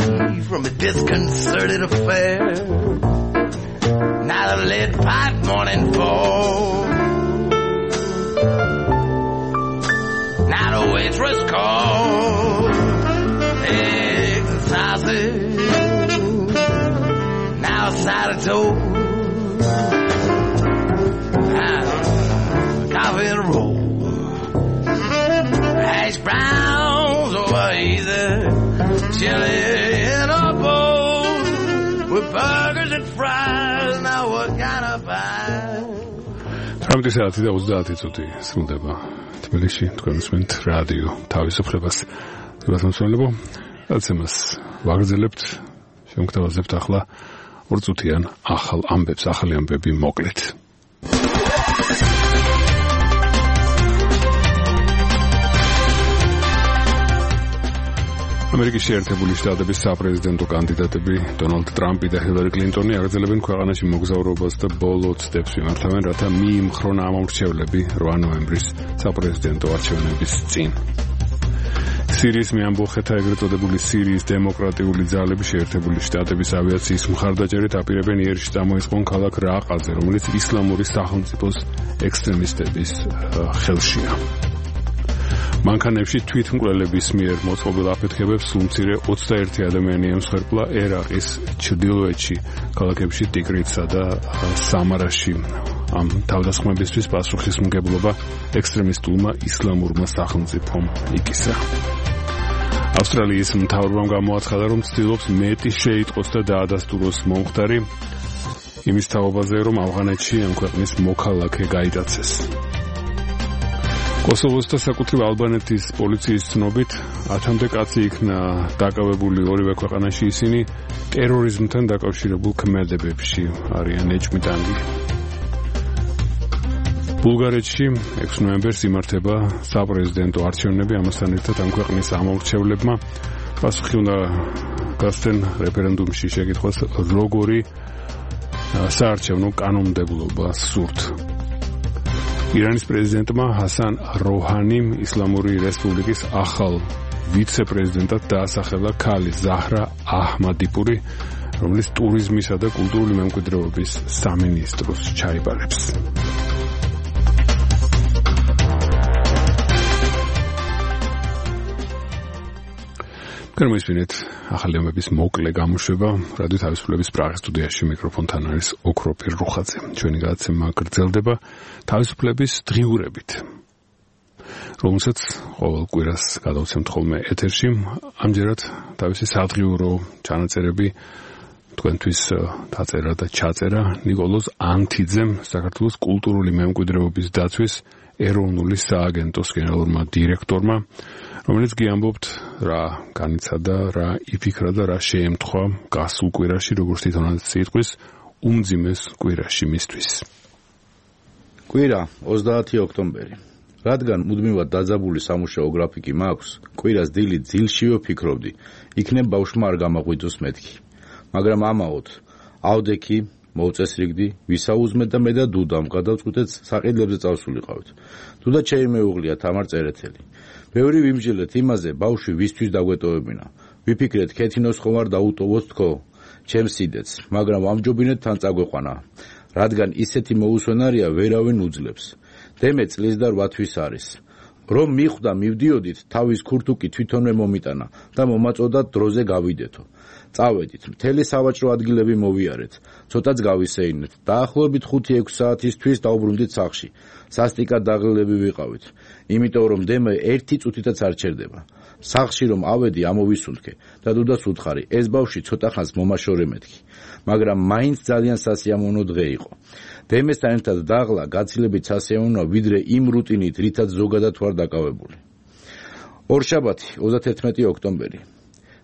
from a disconcerted affair. Now by the lead pipe morning fall. Now the waitress calls eggs and sausage, now a side of toast, coffee and a roll, hash browns over either, chili in a bowl, with burgers and fries, now what kind of pie? 19:30 წუთი სრულდება თბილისში თქვენს მენთ რადიო თავისუფლებას გასამსვენებო აცემას ვაგრძელებთ შემოგთავაზებთ ახლა 2 წუთიან ახალ ამბებს ახალი ამბები მოკლედ ამერიკის შეერთებული შტატების საპრეზიდენტო კანდიდატები დონალდ ტრამპი და ჰილარი კლინტონი აგრძელებენ ქვეყანაში მოგზაურობას და ბოლო ცდებს მიმართავენ, რათა მიიმხრონ ამორჩევლები 8 ნოემბრის საპრეზიდენტო არჩევნების წინ. სირიის მეამბოხეთა ეგრეთ წოდებული სირიის დემოკრატიული ძალები შეერთებული შტატების ავიაციის მხარდაჭერით აპირებენ იერში წამოიწყონ ქალაქ რაყაზე, რომელიც ისლამური სახელმწიფოს ექსტრემისტების ხელშია. მანქანებში თვითმკვლელების მიერ მოწყობილ აფეთქებებს სულ-მცირე 21 ადამიანი ემსხვერპლა ერაყის ჩრდილოეთში, ქალაქებში ტიგრიცსა და სამარაში. ამ თავდასხმებისთვის პასუხისმგებლობა ექსტრემისტულმა ისლამურმა სახელმწიფომ იკისა. ავსტრალიის მთავრობამ გამოაცხადა, რომ ცდილობს მეტი შეიტყოს და დაადასტუროს მომხდარი იმის თაობაზე, რომ ავღანეთში ამ ქვეყნის მოქალაქე გაიტაცეს. კოსოვოს და საკუთრივ ალბანეთის პოლიციის ცნობით 10-მდე კაცი იქნა დაკავებული ორივე ქვეყანაში ისინი ტერორიზმთან დაკავშირებულ ქმედებებში არიან ეჭვმიტანილი. ბულგარეთში 6 ნოემბერს იმართება საპრეზიდენტო არჩევნები, ამასთან ერთად ამ ქვეყნის ამორჩევლებმა პასუხი უნდა გასცენ რეფერენდუმში შეკითხვას, როგორი საარჩევნო კანონმდებლობა სურთ. ირანის პრეზიდენტმა ჰასან როჰანიმ ისლამური რესპუბლიკის ახალ ვიცე-პრეზიდენტად დაასახელა ქალი ზაჰრა აჰმადიპური, რომელიც ტურიზმისა და კულტურული მემკვიდრეობის სამინისტროს ჩაიბარებს. გერმანიის ახალი ამბების მოკლე გამოშვება რადიო თავისუფლების პრაღის სტუდიაში მიკროფონთან არის ოქროფირ რუხაძე. ჩვენი გადაცემა გრძელდება თავისუფლების დღიურებით, რომელსაც ყოველ კვირას გადავცემთ ხოლმე ეთერში. ამჯერად თავისი სადღიურო ჩანაწერები თქვენთვის დაწერა და ჩაწერა ნიკოლოზ ანთიძემ, საქართველოს კულტურული მემკვიდრეობის დაცვის ეროვნული სააგენტოს გენერალურმა დირექტორმა, რომელიც გიამბობთ რა განიცადა, რა იფიქრა და რა შეემთხვა გასულ კვირაში, როგორც თვითონაც სიტყვის უმძიმეს კვირაში მისთვის. კვირა 30 ოქტომბერი. რადგან მუდმივად დაძაბული სამუშაო გრაფიკი მაქვს, კვირას დილით ძილშივე ვფიქრობდი, იქნებ ბავშვმა არ გამაღვიძოს მეთქი. მაგრამ ამაოდ ავდექი მოვწესრიგდი, ვისაუზმე და მე და დუდამ გადავწყვიტეთ საყიდლებზე წავსულიყავით. დუდა შეიმეუღლია თამარ წერეთელი. ბევრი ვიმსჯელეთ იმაზე, ბავშვი ვისთვის დაგვეტოვებინა. ვიფიქრეთ, ქეთინოს ხომ არ დაუტოვოთ თქო, ჩემს სიდეც, მაგრამ ვამჯობინეთ თან წაგვეყვანა, რადგან ისეთი მოუსვენარია ვერავინ უძლებს. დემე წლის და 8 თვის არის. რომ მიხვდა მივდიოდით, თავის ქურთუკი თვითონვე მომიტანა და მომაწოდა დროზე გავიდეთო. წავედით, მთელი სავაჭრო ადგილები მოვიარეთ, ცოტაც გავისეინეთ. დაახლოებით 5-6 საათისთვის დავბრუნდით სახლში. სასტიკად დაღლილები ვიყავით, იმიტომ რომ დემე 1 წუთითაც არ ჩერდება. სახლში რომ ავედი, ამოვისუნთქე და დუდას უთხარი, ეს ბავშვი ცოტა ხანს მომაშორე მეთქი, მაგრამ მაინც ძალიან სასიამოვნო დღე იყო. დემესთან ერთად დაღლა გაცილებით სასიამოვნოა, ვიდრე იმ რუტინით, რითაც ზოგადად ვარ დაკავებული. ორშაბათი, 31 ოქტომბერი.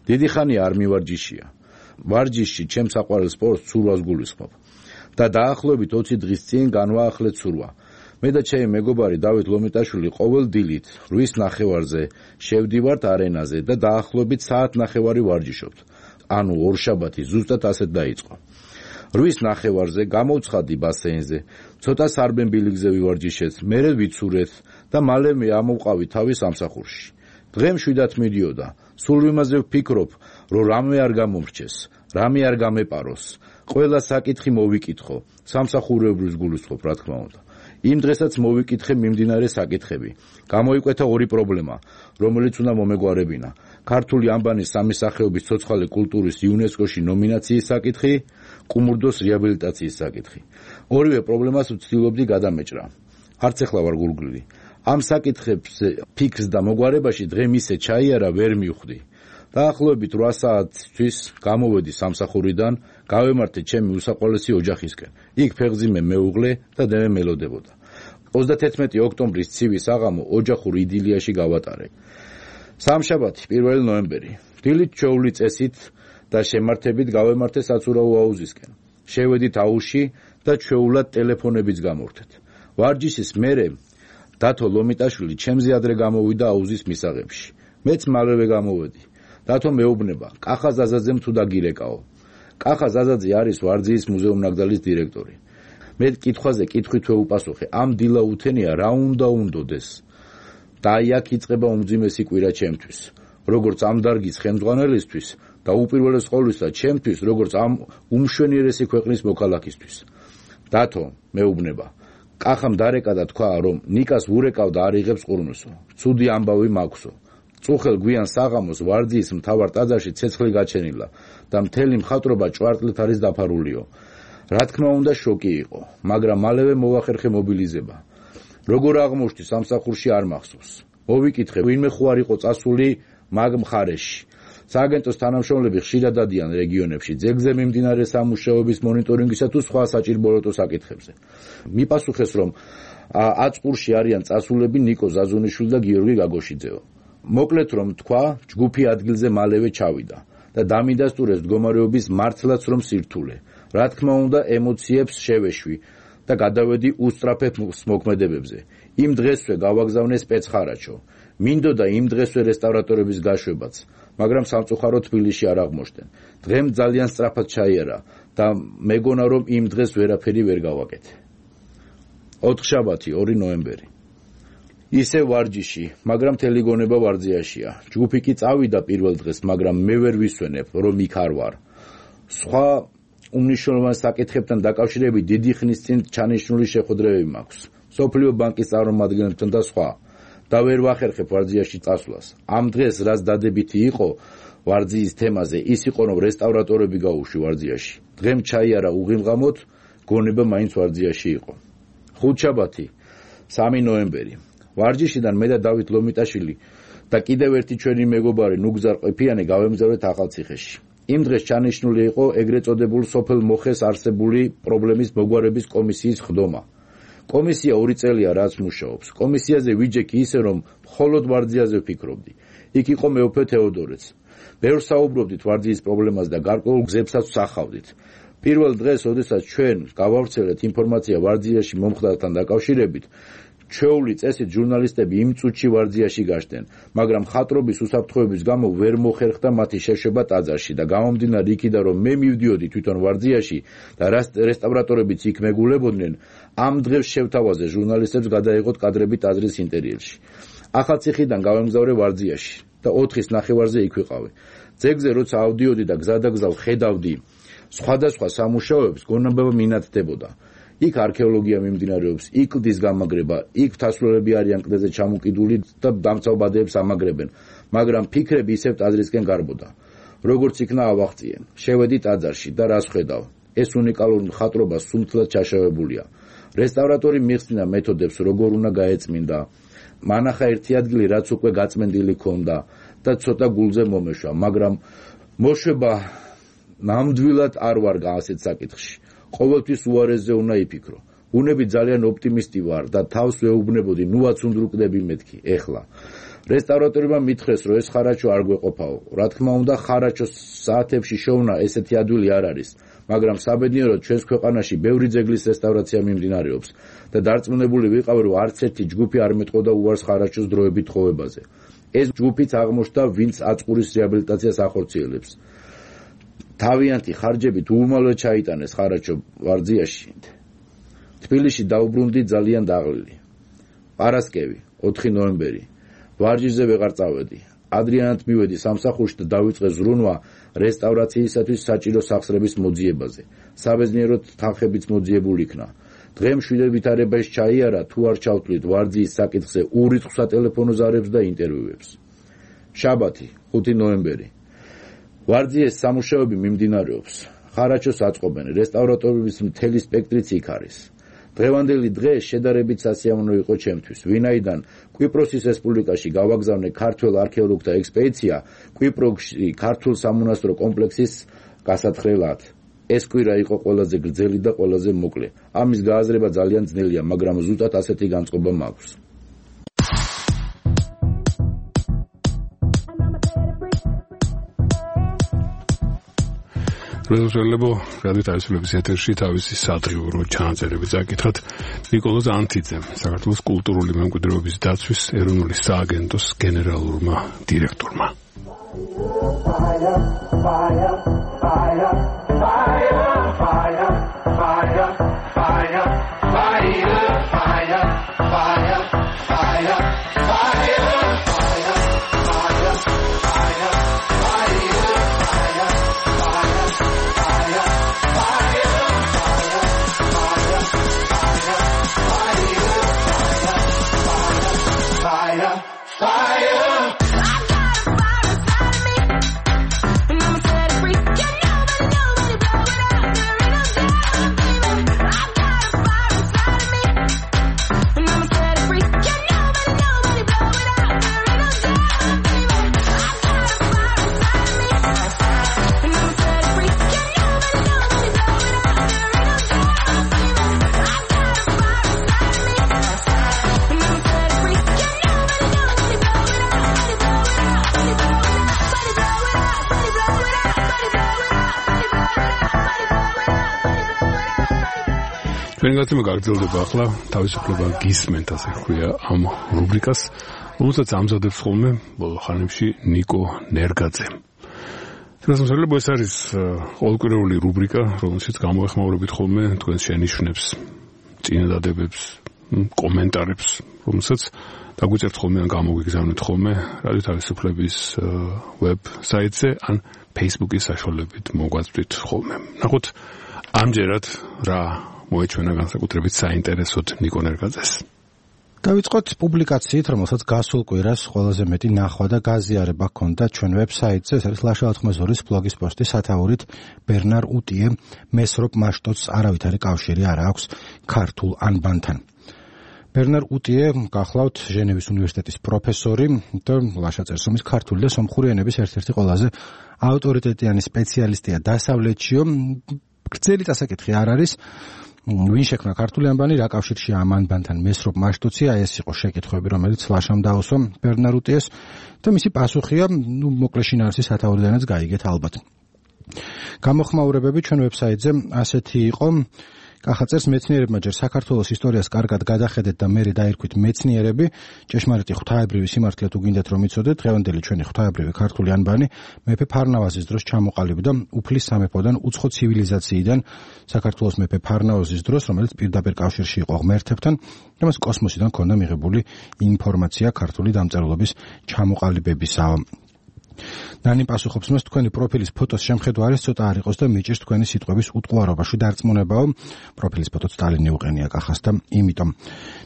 დიდი ხანია არ მივარჯიშია. ვარჯიში ჩემს საყვარელ სპორტს ცურვას გულისხმობ და დაახლოებით 20 დღის წინ განვაახლეთ ცურვა. მე და ჩემი მეგობარი დავით ლომიტაშვილი ყოველ დილით 8:30-ზე შევდივართ არენაზე და დაახლოებით საათნახევარი ვარჯიშობთ. ანუ ორშაბათი ზუსტად ასეთ დაიწყო. 8:30-ზე გამოვცხადდი ბასეინზე, ცოტა სარბენ-ბილიგზე ვივარჯიშეთ, მერე ვიცურეთ და მალე მე ამოვყავი თავის სამსახურში. დღე მშვიდად მიდიოდა, სულ იმაზე ვფიქრობ, რომ რამე არ გამომრჩეს. რამე არ გამეპაროს, ყველა საკითხი მოვიკითხო, სამსახურეობრივს გულისხმობ, რა თქმა უნდა. იმ დღესაც მოვიკითხე მიმდინარე საკითხები. გამოიკვეთა ორი პრობლემა, რომელიც უნდა მომეგვარებინა. ქართული ანბანის სამი სახეობის ცოცხალი კულტურის იუნესკოში ნომინაციის საკითხი, კუმურდოს რეაბილიტაციის საკითხი. ორივე პრობლემას ვცდილობდი გადამეჭრა. არც ახლა ვარ გულგრილი. ამ საკითხებს ფიქს და მოგვარებაში დღე მისე ჩაიარა ვერ მივხვდი. დაახლოებით 8 საათთვის გამოვედი სამსახურიდან, გავემართე ჩემი უსაყვარლესი ოჯახისკენ. იქ ფეხზიმე მეუღლე და დემე მელოდებოდა. 31 ოქტომბრის ცივი საღამო ოჯახურ იდილიაში გავატარე. სამშაბათი 1 ნოემბერი. დილით ჩვეული წესით და შემართებით გავემართე საცურაო აუზისკენ. შევედით აუზში და ჩვეულად ტელეფონებიც გამორთეთ. ვარჯიშის მერე დათო ლომიტაშვილი ჩემზე ადრე გამოვიდა აუზის მისაღებში. მეც მალევე გამოვედი. დათო მეუბნება, კახა ზაზაძემ თუ დაგირეკაო. კახა ზაზაძე არის ვარძიის მუზეუმ-ნაკრძალის დირექტორი. მე კითხვაზე კითხვით ვეუპასუხე, ამ დილა უთენია რა უნდა უნდოდეს. და აქ იწყება უმძიმესი კვირა ჩემთვის, როგორც ამ დარგის ხელმძღვანელისთვის და უპირველეს ყოვლისა ჩემთვის, როგორც ამ უმშვენიერესი ქვეყნის მოქალაქისთვის. დათო მეუბნება, კახამ დარეკა და თქვა, რომ ნიკას ურეკავ და არ იღებს ყურნოსო. ცუდი ამბავი მაქვსო. წუხელ გვიან საღამოს ვარძიის მთავარ ტაძარში ცეცხლი გაჩენილა და მთელი მხატვრობა ჭვარტლით არის დაფარულიო. რა თქმა უნდა შოკი იყო, მაგრამ მალევე მოვახერხე მობილიზება. როგორ აღმოჩნდი სამსახურში არ მახსოვს. მოვიკითხე, ვინმე ხო არ იყო წასული მაგ მხარეში. სააგენტოს თანამშრომლები ხშირად დადიან რეგიონებში, ძეგლზე მიმდინარე სამუშაოების მონიტორინგისა თუ სხვა საჭიროებო საკითხებზე. მიპასუხეს, რომ აწყურში არიან წასულები ნიკო ზაზუნიშვილი და გიორგი გაგოშიძეო. მოკლედ რომ თქვა, ჯგუფი ადგილზე მალევე ჩავიდა და დამიდასტურეს მდგომარეობის მართლაც რომ სირთულე. რა თქმა უნდა, ემოციებს შევეშვი და გადავედი უსწრაფებ მოქმედებებზე. იმ დღესვე გავაგზავნე სპეცხარაჩო. მინდოდა იმ დღესვე რესტავრატორების გაშვებაც, მაგრამ სამწუხაროდ თბილისში არ აღმოჩნდნენ. დღემ ძალიან სწრაფად ჩაიარა და მეგონა რომ იმ დღეს ვერაფერი ვერ გავაკეთე. 4 შაბათი 2 ნოემბერი. ისე ვარჯიში, მაგრამ მთელი გონება ვარძიაშია. ჯგუფი კი წავიდა პირველ დღეს, მაგრამ მე ვერ ვისვენებ, რომ იქ არ ვარ. სხვა უმნიშვნელოვან საკითხებთან დაკავშირებით დიდი ხნის წინ ჩანიშნული შეხვედრებები მაქვს. სოფლიო ბანკის წარმომადგენლებთან და სხვა. და ვერ ვახერხებ ვარძიაში წასვლას. ამ დღეს რაც დადებითი იყო ვარძიის თემაზე, ის იყო რომ რესტავრატორები გაუშვი ვარძიაში. დღემ ჩაიარა უღილღამოთ, გონება მაინც ვარძიაში იყო. 5 შაბათი 3 ნოემბერი. ვარჯიშიდან მე და დავით ლომიტაშვილი და კიდევ ერთი ჩვენი მეგობარი ნუგზარ ყიფიანი გავემგზავრეთ ახალციხეში. იმ დღეს ჩანიშნული იყო ეგრეთ წოდებულ სოფელ მოხეს არსებული პრობლემის მოგვარების კომისიის ხდომა. კომისია 2 წელია რაც მუშაობს. კომისიაზე ვიჯექი ისე რომ მხოლოდ ვარძიაზე ვფიქრობდი. იქ იყო მეუფე თეოდორეც. ბევრ საუბრობდით ვარძიის პრობლემას და გარკვეულ გზებსაც ვსახავდით. პირველ დღეს, როდესაც ჩვენ გავავრცელეთ ინფორმაცია ვარძიაში მომხდართან დაკავშირებით, ჩვეული წესით ჟურნალისტები იმ წუთში ვარძიაში გაშდნენ, მაგრამ მხატვრობის უსაფრთხოების გამო ვერ მოხერხდა მათი შეშვება ტაძარში და გამომდინარე იქიდან რომ მე მივდიოდი თვითონ ვარძიაში და რესტავრატორებიც იქ მეგულებოდნენ, ამ დღეს შევთავაზე ჟურნალისტებს გადაიღოთ კადრები ტაძრის ინტერიერში. ახალციხიდან გავემგზავრე ვარძიაში და 4-ის ნახევარზე იქ ვიყავი. ძეგლზე როცა ავდიოდი და გზადაგზავ ხედავდი სხვადასხვა სამუშაოებს, გონება მინათდებოდა. იქ არქეოლოგია მიმდინარეობს, იქ კლდის გამაგრება, იქ მთასვლელები არიან კლდეზე ჩამოკიდული და დამცავბადეებს ამაგრებენ, მაგრამ ფიქრები ისევ ტაძრისკენ გარბოდა. როგორც იქნა ავაღწიენ, შევედი ტაძარში და რას ხედავ? ეს უნიკალური მხატვრობა სუნთლად ჩაშავებულია. რესტავრატორი მიხსნა მეთოდებს, როგორ უნდა გაეწმინდა. მანახა ერთი ადგილი, რაც უკვე გაწმენდილი ქონდა და ცოტა გულზე მომეშვა, მაგრამ მოშვება ნამდვილად არ ვარ ასეთ საკითხში. ყოველთვის უარესზე უნდა იფიქრო. ბუნები ძალიან ოპტიმისტი ვარ და თავს ვეუბნებოდი, ნუაც უნდრუკდები მეთქი, ეხლა. რესტავრატორებმა მითხრეს, რომ ეს ხარაჩო არ გვეყოფაო. რა თქმა უნდა, ხარაჩოს საათებში შოვნა ესეთი ადვილი არ არის, მაგრამ საბედნიეროდ ჩვენს ქვეყანაში ბევრი ძეგლის რესტავრაცია მიმდინარეობს და დარწმუნებული ვიყავი, რომ არც ერთი ჯგუფი არ მეტყოდა უარს ხარაჩოს დროებით ხოვებაზე. ეს ჯგუფიც აღმოჩნდა, ვინც აწყურის რეაბილიტაციას ახორციელებს. თავიანთი ხარჯებით უუმალოდ ჩაიტანეს ხარაჩო ვარძიაში. თბილისში დაუბრუნდი ძალიან დაღლილი. პარასკევი 4 ნოემბერი. ვარჯიშზე ვეღარ წავედი. ადრიანად მივედი სამსახურში და დავიწყე ზრუნვა რესტავრაციისათვის საჭირო სახსრების მოძიებაზე. საბერძნიეროდ თანხებიც მოძიებული იქნა. დღემ მშვიდობითარებას ჩაიარა თუ არ ჩავთვლით ვარძიის საკითხზე ურიცხ სატელეფონო ზარებს და ინტერვიუებს. შაბათი, 5 ნოემბერი. ვარძიეს სამუშაოები მიმდინარეობს. ხარაჩოს აწყობენ, რესტავრატორების მთელი სპექტრიც იქ არის. დღევანდელი დღე შედარებით სასიამოვნო იყო ჩემთვის, ვინაიდან კვიპროსის რესპუბლიკაში გავაგზავნე ქართველ არქეოლოგთა ექსპედიცია კვიპროსში ქართულ სამონასტრო კომპლექსის გასათხრელად. ეს კვირა იყო ყველაზე გრძელი და ყველაზე მოკლე. ამის გააზრება ძალიან ძნელია, მაგრამ ზუსტად ასეთი განწყობა მაქვს. რეზოლუციებო რადიო თავისუფლების ეთერში თავისი სადღიურო ჩანაწერებით აკითხათ ნიკოლოზ ანთიძემ, საქართველოს კულტურული მემკვიდრეობის დაცვის ეროვნული სააგენტოს გენერალურმა დირექტორმა. ჩვენი გაგრძელდება ახლა თავისუფლება გისმენთ, ასე ხვია ამ რუბრიკას, რომელსაც ამზადებს ხოლმე ბოლო ხანებში ნიკო ნერგაძე. თუმცა ეს არის ყოველკვირეული რუბრიკა, რომელშიც გამოეხმაურებით ხოლმე თქვენს შენიშვნებს, წინადადებებს, კომენტარებს, რომელსაც დაგვიწერთ ხოლმე ან გამოგვიგზავნით ხოლმე რადიო თავისუფლების ვებსაიტზე ან Facebook-ის საშუალებით მოგვაწვდით ხოლმე. ნახოთ ამჯერად რა მოეჩვენა განსაკუთრებით საინტერესოდ ნიკო ნერგაძეს. დავიწყოთ პუბლიკაციით, რომელსაც გასულ კვირას ყველაზე მეტი ნახვა და გაზიარება ჰქონდა ჩვენ ვებსაიტზე, ეს არის ლაშა-92-ის ბლოგის პოსტი სათაურით ბერნარ უტიე მესროპ მაშტოც არავითარი კავშირი არ აქვს ქართულ ანბანთან. ბერნარ უტიე გახლავთ ჟენევის უნივერსიტეტის პროფესორი და ლაშა-წერსომის ქართული და სომხური ენების ერთ-ერთი ყველაზე ავტორიტეტიანი სპეციალისტია დასავლეთშიო. გრძელი დასაკითხი არ არის ვინ შექმნა ქართული ანბანი, რა კავშირშია ამ ანბანთან მესროპ მაშტოცია, ეს იყო შეკითხვები, რომელიც ლაშამ დაუსვა ბერნარ უტიეს და მისი პასუხია, მოკლე შინაარსის სათაურიდანაც გაიგეთ ალბათ. გამოხმაურებები ჩვენ ვებსაიტზე ასეთი იყო. კახაწერს მეცნიერებმა ჯერ საქართველოს ისტორიას კარგად გადახედეთ და მერე დაირქვით მეცნიერები, ჭეშმარიტი ღვთაებრივი სიმართლე თუ გინდათ რომ იცოდეთ, დღევანდელი ჩვენი ღვთაებრივი ქართული ანბანი მეფე ფარნავაზის დროს ჩამოყალიბდა უფლის სამეფოდან უცხო ცივილიზაციიდან საქართველოს მეფე ფარნავაზის დროს, რომელიც პირდაპირ კავშირში იყო ღმერთებთან, და მას კოსმოსიდან ჰქონდა მიღებული ინფორმაცია ქართული დამწერლობის ჩამოყალიბებისაა. ნანი პასუხობს მას, თქვენი პროფილის ფოტოს შემხედვა არის ცოტა არ იყოს და მიჭირს თქვენი სიტყვების უტყუარობაში დარწმუნებაო. პროფილის ფოტოც სტალინი უყენია კახას და იმიტომ.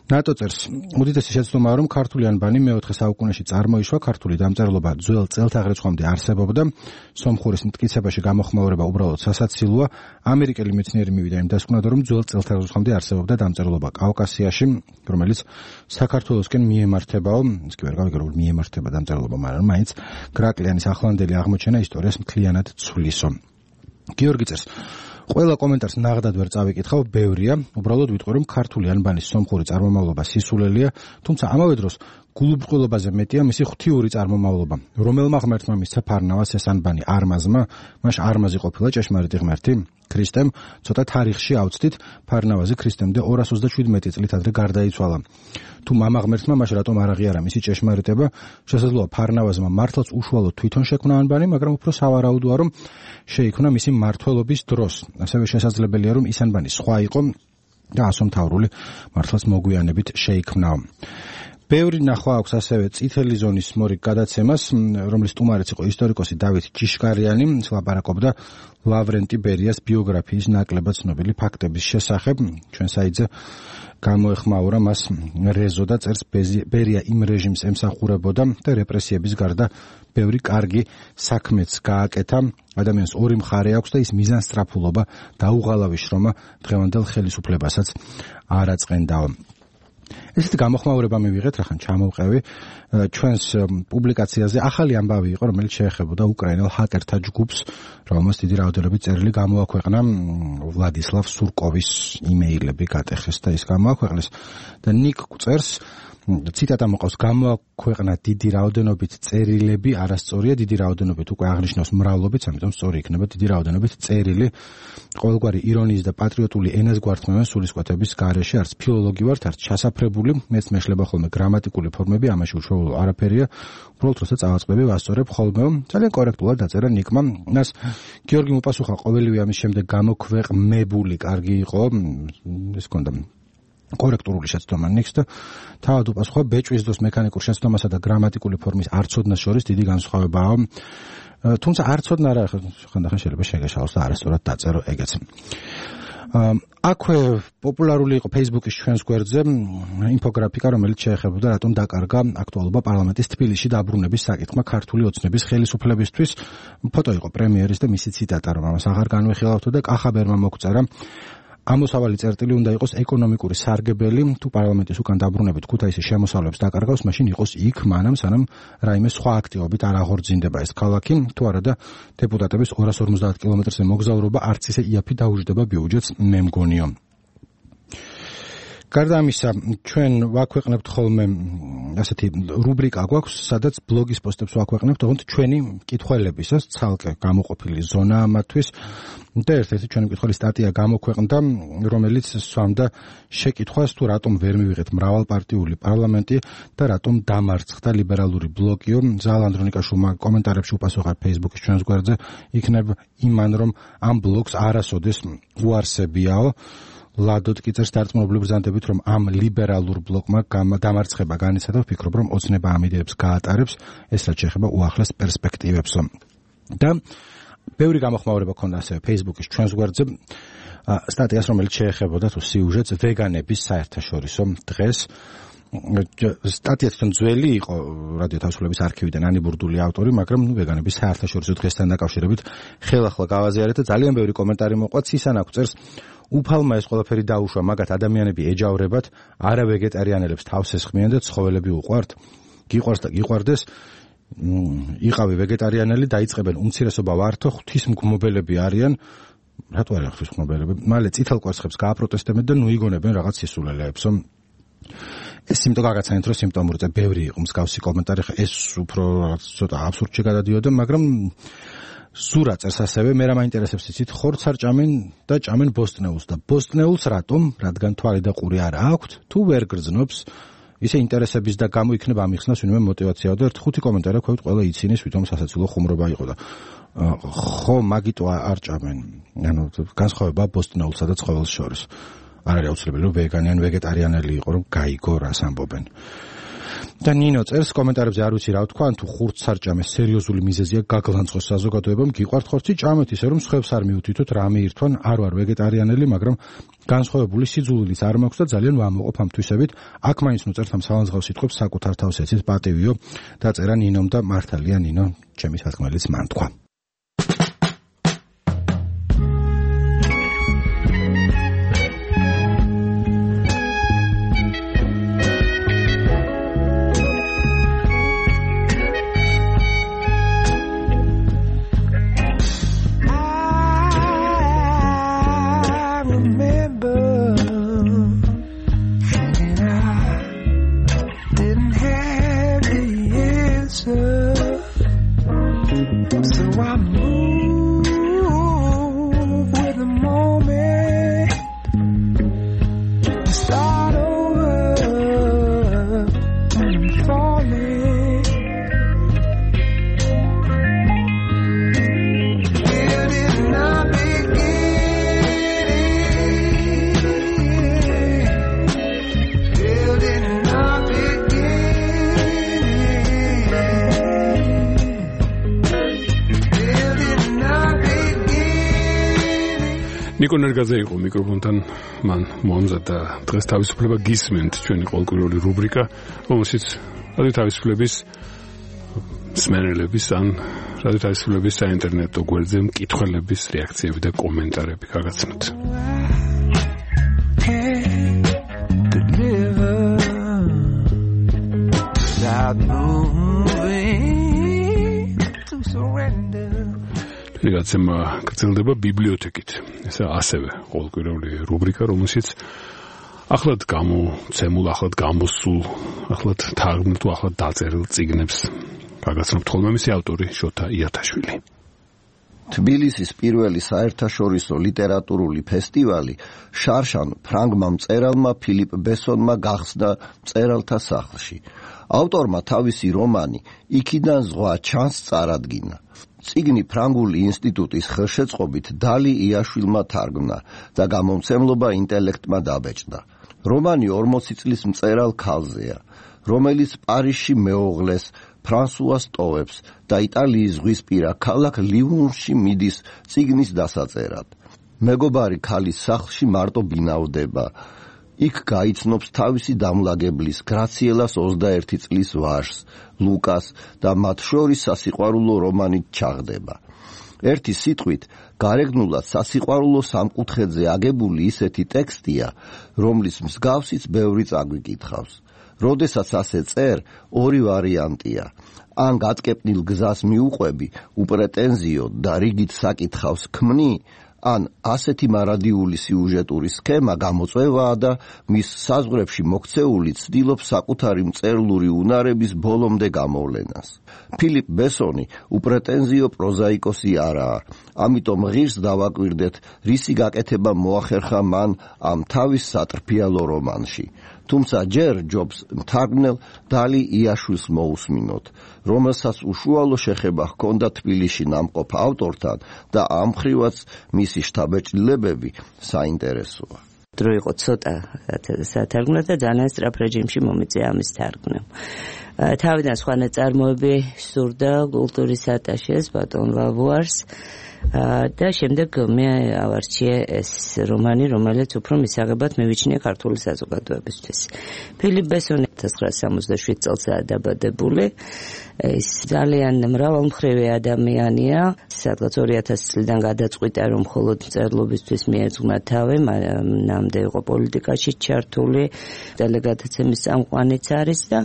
ნატო წერს, უდიდესი შეცდომაა რომ ქართული ანბანი მე-4 საუკუნეში წარმოიშვა, ქართული დამწერლობა ძველ წელთაღრიცხვამდე არსებობდა, სომხურის მტკიცებაში გამოხმაურება უბრალოდ სასაცილოა. ამერიკელი მეცნიერი მივიდა იმ დასკვნად, რომ ძველ წელთაღრიცხვამდე არსებობდა დამწერლობა კავკასიაში, რომელიც საქართველოსკენ მიემართებაო, ის კი ვერ გავიგე რომ მიემართება დამწერლობა, მაგრამ მაინც გრაკლიანის ახლანდელი აღმოჩენა ისტორიას მთლიანად ცვლისო. გიორგი წერს, ყველა კომენტარს ნაღდად ვერ წავიკითხავ, ბევრია, უბრალოდ ვიტყვი რომ ქართული ანბანის სომხური წარმომავლობა სისულელია, თუმცა ამავე დროს გულუბრყვილობაზე მეტია მისი ღვთიური წარმომავლობა. რომელმა ღმერთმა მისცა ფარნავაზს ეს ანბანი არმაზმა, მაშ არმაზი ყოფილა ჭეშმარიტი ღმერთი? ქრისტემ ცოტა თარიღში ავწდით, ფარნავაზი ქრისტემდე 227 წლით ადრე გარდაიცვალა. თუ მამა ღმერთმა მაშ რატომ არ აღიარა მისი ჭეშმარიტება? შესაძლოა ფარნავაზმა მართლაც უშუალოდ თვითონ შექმნა ანბანი, მაგრამ უფრო სავარაუდოა რომ შეიქმნა მისი მმართველობის დროს. ასევე შესაძლებელია რომ ის ანბანი სხვა იყო და ასომთავრული მართლაც მოგვიანებით შეიქმნაო. ბევრი ნახვა აქვს ასევე წითელი ზონის მორიგ გადაცემას, რომლის სტუმარიც იყო ისტორიკოსი დავით ჭიშკარიანი, ლაპარაკობდა ლავრენტი ბერიას ბიოგრაფიის ნაკლებად ცნობილი ფაქტების შესახებ. ჩვენ საიტზე გამოეხმაურა მას რეზო და წერს ბერია იმ რეჟიმს ემსახურებოდა და რეპრესიების გარდა ბევრი კარგი საქმეც გააკეთა. ადამიანს ორი მხარე აქვს და ის მიზანსწრაფულობა და უღალავი შრომა დღევანდელ ხელისუფლებასაც არ აწყენდაო. ესეთი გამოხმაურება მივიღეთ, რახან ჩამოვყევი ჩვენს პუბლიკაციაზე ახალი ამბავი იყო, რომელიც შეეხებოდა უკრაინელ ჰაკერთა ჯგუფს, რომელმაც დიდი რაოდენობით წერილი გამოაქვეყნა ვლადისლავ სურკოვის იმეილები გატეხეს და ის გამოაქვეყნეს და ნიკ წერს ციტატა მოყავს გამოაქვეყნა დიდი რაოდენობით წერილები, არასწორია, დიდი რაოდენობით უკვე აღნიშნავს მრავლობით, ამიტომ სწორი იქნება დიდი რაოდენობით წერილი. ყოველგვარი ირონიის და პატრიოტული ენაზგვართმევენ სულისკვეთების გარეშე, არც ფილოლოგი ვართ, არც ჩასაფრებული, მეც მეშლება ხოლმე გრამატიკული ფორმები, ამაში უშუალო არაფერია. უბრალოდ როცა წავაწყდები, ვასწორებ ხოლმე. ძალიან კორექტულად დაწერა ნიკმა. მას გიორგი მოპასუხა ყოველივე ამის შემდეგ გამოქვეყნებული კარგი იყო, ეს კონდა კორექტული შეცდომა ნიქს და თავად უპასუხა ბეჭვის დროს მექანიკურ შეცდომასა და გრამატიკული ფორმის არცოდნას შორის დიდი განსხვავებაა. თუმცა არცოდნა არა, ხანდახან შეიძლება შეგეშალოს და არასწორად დაწერო ეგეც. აქვე პოპულარული იყო Facebook-ის ჩვენს გვერდზე ინფოგრაფიკა, რომელიც შეეხებოდა რატომ დაკარგა აქტუალობა პარლამენტის თბილისში დაბრუნების საკითხმა ქართული ოცნების ხელისუფლებისთვის. ფოტო იყო პრემიერის და მისი ციტატა, რომ ამას აღარ განვიხილავთ და კახაბერმა მოგწერა ამოსავალი წერტილი უნდა იყოს ეკონომიკური სარგებელი, თუ პარლამენტის უკან დაბრუნებით ქუთაისის შემოსავლებს დაკარგავს, მაშინ იყოს იქ მანამ სანამ რაიმე სხვა აქტივობით არ აღორძინდება ეს ქალაქი, თუ არა და დეპუტატების 250 კილომეტრზე მოგზაურობა არც ისე იაფი დაუჯდება ბიუჯეტს, მე მგონიო. გარდა ამისა, ჩვენ ვაქვეყნებთ ხოლმე ასეთი რუბრიკა გვაქვს, სადაც ბლოგის პოსტებს ვაქვეყნებთ, თუმცა ჩვენი მკითხველებისას ცალკე გამოყოფილი ზონაა მათთვის და ერთ-ერთი ჩვენი მკითხველი სტატია გამოქვეყნდა, რომელიც სვამდა შეკითხვას, თუ რატომ ვერ მივიღეთ მრავალპარტიული პარლამენტი და რატომ დამარცხდა ლიბერალური ბლოკიო. ზალ ანდრონიკაშვილმა კომენტარებში უპასუხა Facebook-ის ჩვენს გვერდზე, იქნებ იმან, რომ ამ ბლოკს არასოდეს უარსებიაო. ლადოდ კი წერს დარწმუნებული ბრძანდებით, რომ ამ ლიბერალურ ბლოკმა დამარცხება განიცადა, ვფიქრობ, რომ ოცნება ამ იდეებს გაატარებს, ეს რაც შეეხება უახლეს პერსპექტივებსო. და ბევრი გამოხმაურება ქონდა ასევე Facebook-ის ჩვენს გვერდზე სტატიას, რომელიც შეეხებოდა თუ სიუჟეტს ვეგანების საერთაშორისო დღეს. სტატია თვითონ ძველი იყო რადიო თავისუფლების არქივიდან ანიბურდული ავტორი, მაგრამ ვეგანების საერთაშორისო დღესთან დაკავშირებით ხელახლა გავაზიარეთ და ძალიან ბევრი კომენტარი მოყვა. ცისანაკ წერს უფალმა ეს ყველაფერი დაუშვა, მაგათ ადამიანები ეჯავრებათ, არა ვეგეტარიანელებს თავს ესხმიან და ცხოველები უყვართ, გიყვარს და გიყვარდეს, იყავი ვეგეტარიანელი, დაიწყებენ უმცირესობა ვართო, ღვთისმგმობელები არიან, რატო არა ღვთისმგმობელები, მალე წითელ კვერცხებს გააპროტესტებენ და ნუ იგონებენ რაღაც სისულელეებსო. ეს სიმტო გაგაცანეთ, რომ სიმპტომურზე ბევრი იყო მსგავსი კომენტარი, ეს უფრო ცოტა აბსურდში გადადიოდა, მაგრამ სურა წერს ასევე, მე რა მაინტერესებს იცით, ხორცს არ ჭამენ და ჭამენ ბოსტნეულს და ბოსტნეულს რატომ? რადგან თვალი და ყური არ აქვთ, თუ ვერ გრძნობს, ისე ინტერესების და გამოიქნება ამიხსნას ვინმე მოტივაციაა და 1-5 კომენტარი აქვთ, ყველა იცინეს, ვითომ სასაცილო ხუმრობა იყო და ხო მაგიტო არ ჭამენ. ანუ განსხვავება ბოსტნეულსა და ცხოველს შორის. არ არის აუცილებელი, რომ ვეგანი ან ვეგეტარიანელი იყო, რომ გაიგო რას ამბობენ. და ნინო წერს კომენტარებზე, არ ვიცი რა ვთქვა, ან თუ ხურცს არ ჭამეს, სერიოზული მიზეზია გაგლანცხოს საზოგადოებამ, გიყვართ ხორცი ჭამეთ, ისე რომ სხვებს არ მიუთითოთ, რამე ირთვან, არ ვარ ვეგეტარიანელი, მაგრამ განსხვავებული სიძულვილიც არ მაქვს და ძალიან ვამოყობ ამ თვისებით. აქ მაინც ნუ წერთ ამ სალანძღავს სიტყვებს, საკუთარ თავს ეცით პატივიო, დაწერა ნინომ და მართალია ნინო, ჩემი სათქმელიც მან თქვა. ნიკო ნერგაძე იყო მიკროფონთან, მან მოამზადა დღეს თავისუფლება გისმენთ ჩვენი ყოველკვირეული რუბრიკა, რომელშიც რადიო თავისუფლების მსმენელების ან რადიო თავისუფლების საინტერნეტო გვერდზე მკითხველების რეაქციები და კომენტარები გაგაცნოთ. რეგაცემა გრძელდება ბიბლიოთეკით. ეს ასევე ყოველკვირეული რუბრიკა, რომელშიც ახლად გამოცემულ, ახლად გამოსულ, ახლად თარგმნილ თუ ახლად დაწერილ წიგნებს გაგაცნობთ ხოლმე მისი ავტორი შოთა იათაშვილი. თბილისის პირველი საერთაშორისო ლიტერატურული ფესტივალი შარშან ფრანგმა მწერალმა ფილიპ ბესონმა გახსნა მწერალთა სახლში. ავტორმა თავისი რომანი იქიდან ზღვა ჩანს წარადგინა. წიგნი ფრანგული ინსტიტუტის ხელშეწყობით დალი იაშვილმა თარგმნა და გამომცემლობა ინტელექტმა დაბეჭდა. რომანი 40 წლის მწერალ ქალზეა, რომელიც პარიზში მეუღლეს ფრანსუას ტოვებს და იტალიის ზღვისპირა ქალაქ ლივონში მიდის წიგნის დასაწერად. მეგობარი ქალის სახლში მარტო ბინავდება. იქ გაიცნობს თავისი დამლაგებლის გრაციელას 21 წლის ვაჟს, ლუკას და მათ შორის სასიყვარულო რომანით ჩაღდება. ერთი სიტყვით, გარეგნულად სასიყვარულო სამკუთხედზე აგებული ისეთი ტექსტია, რომლის მსგავსიც ბევრი წაგვიკითხავს. როდესაც ასე წერ, ორი ვარიანტია. ან გაწკეპნილ გზას მიუყვები, უპრეტენზიოდ და რიგით საკითხავს ქმნი, ან ასეთი მარადიული სიუჟეტური სქემა გამოწვევაა და მის საზღვრებში მოქცეული ცდილობს საკუთარი მწერლური უნარების ბოლომდე გამოვლენას. ფილიპ ბესონი უპრეტენზიო პროზაიკოსი არაა, ამიტომ ღირს დავაკვირდეთ, რისი გაკეთება მოახერხა მან ამ თავის სატრფიალო რომანში. თუმცა ჯერ ჯობს მთარგმნელ დალი იაშვილს მოусმინოთ, რომელსაც უშუალო შეხება ჰქონდა თბილისში ნამყოფ ავტორთან და ამ მხრივაც მისი შთაბეჭდილებები საინტერესოა. დრო იყო ცოტა სათარგმნო და ძალიან სწრაფ რეჟიმში მომიწია ამის თარგმნა. თავიდან სხვა ნაწარმოები სურდა კულტურის ატაშეს ბატონ ლავუარს და შემდეგ მე ავარჩიე ეს რომანი, რომელიც უფრო მისაღებად მივიჩნია ქართული საზოგადოებისთვის. ფილიპ ბესონი 1967 წელსაა დაბადებული. ის ძალიან მრავალმხრივი ადამიანია, სადღაც 2000 წლიდან გადაწყვიტა, რომ მხოლოდ მწერლობისთვის მიეძღვნა თავი, მანამდე იყო პოლიტიკაში ჩართული, დელეგატების წამყვანიც არის და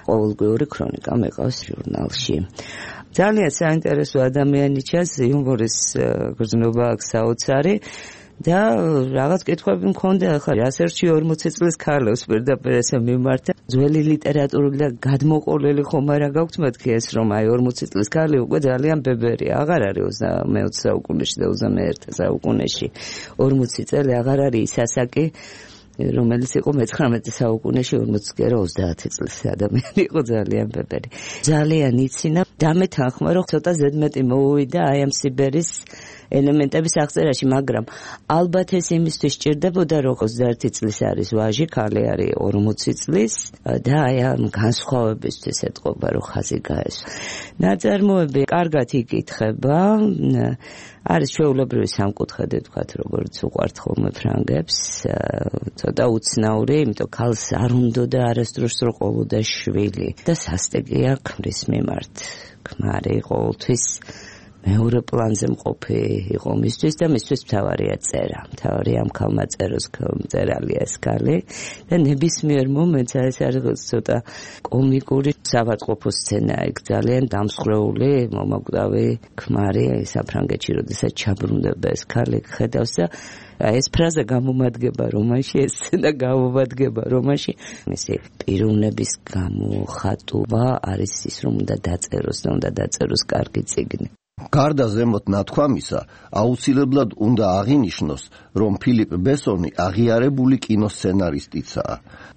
ყოველგვარი ქრონიკა მეყავს ჟურნალში. ძალიან საინტერესო ადამიანი ჩანს, იუმორის გრძნობა აქვს საოცარი და რაღაც კითხვები მქონდა, ახლა ასერჩი 40 წლის ქალებს პირდაპირ ესე მიმართა. ძველი ლიტერატურული და გადმოყოლილი ხომ არა გაქვთ მეთქი ეს, რომ აი 40 წლის ქალი უკვე ძალიან ბებერია, აღარ არის 20 საუკუნეში და 21 საუკუნეში. 40 წელი აღარ არის ის ასაკი, რომელიც იყო მე-19 საუკუნეში 40 კი არა 30 წლის ადამიანი იყო ძალიან ბებერი. ძალიან იცინა და მე თანხმობ, რომ ცოტა ზედმეტი მოუვიდა აი ამ სიბერის ელემენტების აღწერაში, მაგრამ ალბათ ეს იმისთვის ჭირდებოდა, რომ 21 წლის არის ვაჟი, ქალი არის 40 წლის და აი ამ განსხვავებისთვის ეთყობა, რომ ხაზი გაესვა. ნაწარმოები კარგად იკითხება, არის ჩვეულებრივი სამკუთხედი, თქვათ, როგორც უყვართ ხოლმე ფრანგებს, ცოტა უცნაური, იმიტომ ქალს არ უნდა და არასდროს რო ყოლოდა შვილი და სასტიკია ქმრის მიმართ. ქმარი ყოველთვის მეორე პლანზე მყოფი იყო მისთვის და მისთვის მთავარია წერა. მთავარი ამ ქალმა წეროს მწერალია ეს ქალი და ნებისმიერ მომენტს ეს არის ცოტა კომიკური სავატყოფო სცენა, იქ ძალიან დამსხვრეული მომაკვდავი ქმარი საფრანგეთში, როდესაც ჩაბრუნდება ეს ქალი, ხედავს და ეს ფრაზა გამომადგება რომანში, ეს სცენა გამომადგება რომანში. მისი პიროვნების გამოხატვა არის ის, რომ უნდა დაწეროს და უნდა დაწეროს კარგი წიგნი. გარდა ზემოთ ნათქვამისა, აუცილებლად უნდა აღინიშნოს, რომ ფილიპ ბესონი აღიარებული კინოსცენარისტიცაა.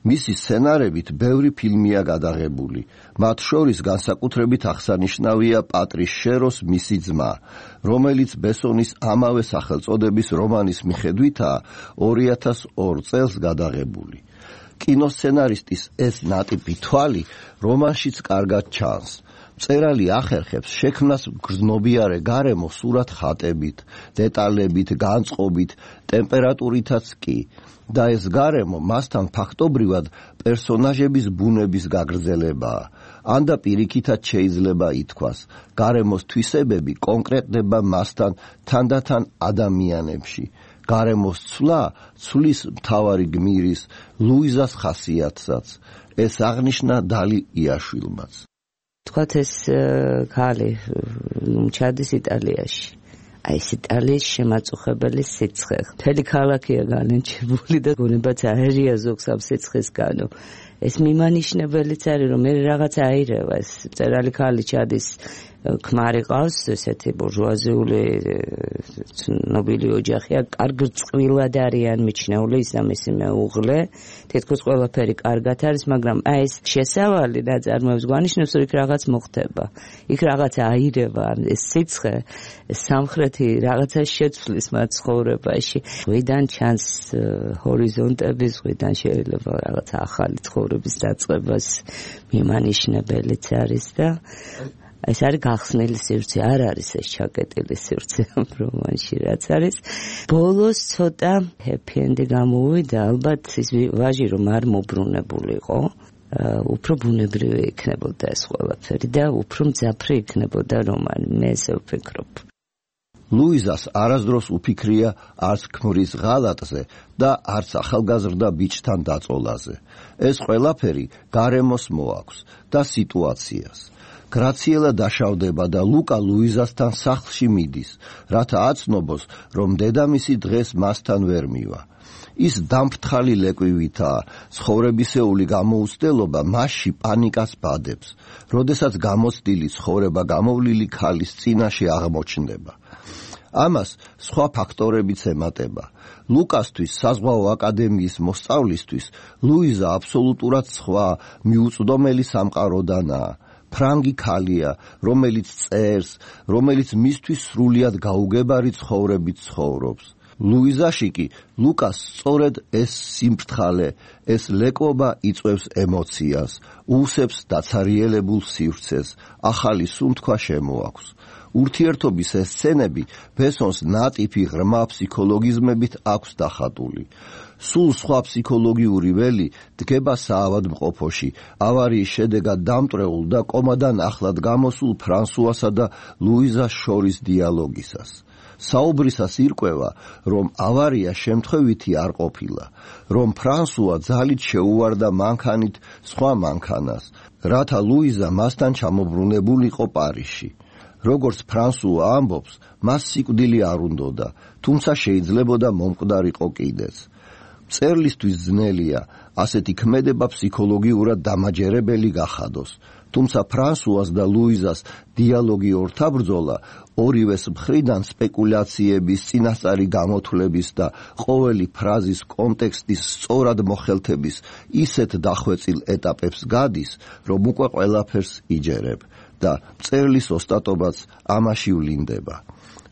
მისი სცენარებით ბევრი ფილმია გადაღებული. მათ შორის განსაკუთრებით აღსანიშნავია პატრის შეროს მისი ძმა, რომელიც ბესონის ამავე სახელწოდების რომანის მიხედვითაა 2002 წელს გადაღებული. კინოსცენარისტის ეს ნატიფი თვალი რომანშიც კარგად ჩანს. მწერალი ახერხებს შექმნას გრძნობიარე გარემო სურათ ხატებით, დეტალებით, განწყობით, ტემპერატურითაც კი და ეს გარემო მასთან ფაქტობრივად პერსონაჟების ბუნების გაგრძელებაა. ან და პირიქითაც შეიძლება ითქვას, გარემოს თვისებები კონკრეტდება მასთან თანდათან ადამიანებში. გარემოს ცვლა ცვლის მთავარი გმირის ლუიზას ხასიათსაც. ეს აღნიშნა დალი იაშვილმაც. თქვათ ეს ქალი ჩადის იტალიაში. აი ეს იტალიის შემაწუხებელი სიცხე. მთელი ქალაქია განენჩებული და გონებაც აერია ზოგს ამ სიცხესგანო. ეს მიმანიშნებელიც არის, რომ მე რაღაცა აირევა. ეს მწერალი ქალი ჩადის ქმარი ყავს, ესეთი ბურჟუაზიული ნობილი ოჯახია, კარგ წყვილად არიან მიჩნეული, ის და მისი მეუღლე. თითქოს ყველაფერი კარგად არის, მაგრამ აი ეს შესავალი ნაწარმოებს გვანიშნებს, რომ იქ რაღაც მოხდება. იქ რაღაცა აირევა, ეს სიცხე, სამხრეთი რაღაცა შეცვლის მათ ცხოვრებაში. ღვიდან ჩანს ჰორიზონტები, ღვიდან შეიძლება რაღაცა ახალი ცხოვრების დაწყებას მიმანიშნებელიც არის და ეს არის გახსნილი სივრცე, არ არის ეს ჩაკეტილი სივრცე ამ რომანში, რაც არის. ბოლოს ცოტა ჰეპი-ენდი გამოვიდა, ალბათ ის ვაჟი რომ არ მობრუნებულიყო, უფრო ბუნებრივი იქნებოდა ეს ყველაფერი და უფრო მძაფრი იქნებოდა რომანი, მე ესე ვფიქრობ. ლუიზას არასდროს უფიქრია არც ქმრის ღალატზე და არც ახალგაზრდა ბიჭთან დაწოლაზე. ეს ყველაფერი გარემოს მოაქვს და სიტუაციას. გრაციელა დაშავდება და ლუკა ლუიზასთან სახლში მიდის, რათა აცნობოს, რომ დედამისი დღეს მასთან ვერ მივა. ის დამფრთხალი ლეკვივითაა, ცხოვრებისეული გამოუცდელობა მასში პანიკას ბადებს, როდესაც გამოცდილი ცხოვრება გამოვლილი ქალის წინაშე აღმოჩნდება. ამას სხვა ფაქტორებიც ემატება. ლუკასთვის საზღვაო აკადემიის მოსწავლისთვის ლუიზა აბსოლუტურად სხვა მიუწვდომელი სამყაროდანაა. ფრანგი ქალია, რომელიც წერს, რომელიც მისთვის სრულიად გაუგებარი ცხოვრებით ცხოვრობს. ლუიზაში კი ლუკას სწორედ ეს სიმფრთხალე, ეს ლეკვობა იწვევს ემოციას, უსებს დაცარიელებულ სივრცეს, ახალი სუნთქვა შემოაქვს. ურთიერთობის ეს სცენები ბესონს ნატიფი ღრმა ფსიქოლოგიზმებით აქვს დახატული. სულ სხვა ფსიქოლოგიური ველი დგება საავადმყოფოში, ავარიის შედეგად დამტვრეულ და კომადან ახლად გამოსულ ფრანსუასა და ლუიზას შორის დიალოგისას. საუბრისას ირკვევა, რომ ავარია შემთხვევითი არ ყოფილა, რომ ფრანსუა ძალით შეუვარდა მანქანით სხვა მანქანას, რათა ლუიზა მასთან ჩამობრუნებულიყო პარიზში. როგორც ფრანსუა ამბობს, მას სიკვდილი არ უნდოდა, თუმცა შეიძლებოდა მომკვდარიყო კიდეც. მწერლისთვის ძნელია ასეთი ქმედება ფსიქოლოგიურად დამაჯერებელი გახადოს, თუმცა ფრანსუას და ლუიზას დიალოგი ორთაბრძოლა ორივეს მხრიდან სპეკულაციების, წინასწარი გამოთვლების და ყოველი ფრაზის კონტექსტის სწორად მოხელთების ისეთ დახვეწილ ეტაპებს გადის, რომ უკვე ყველაფერს იჯერებ და მწერლის ოსტატობაც ამაში ვლინდება.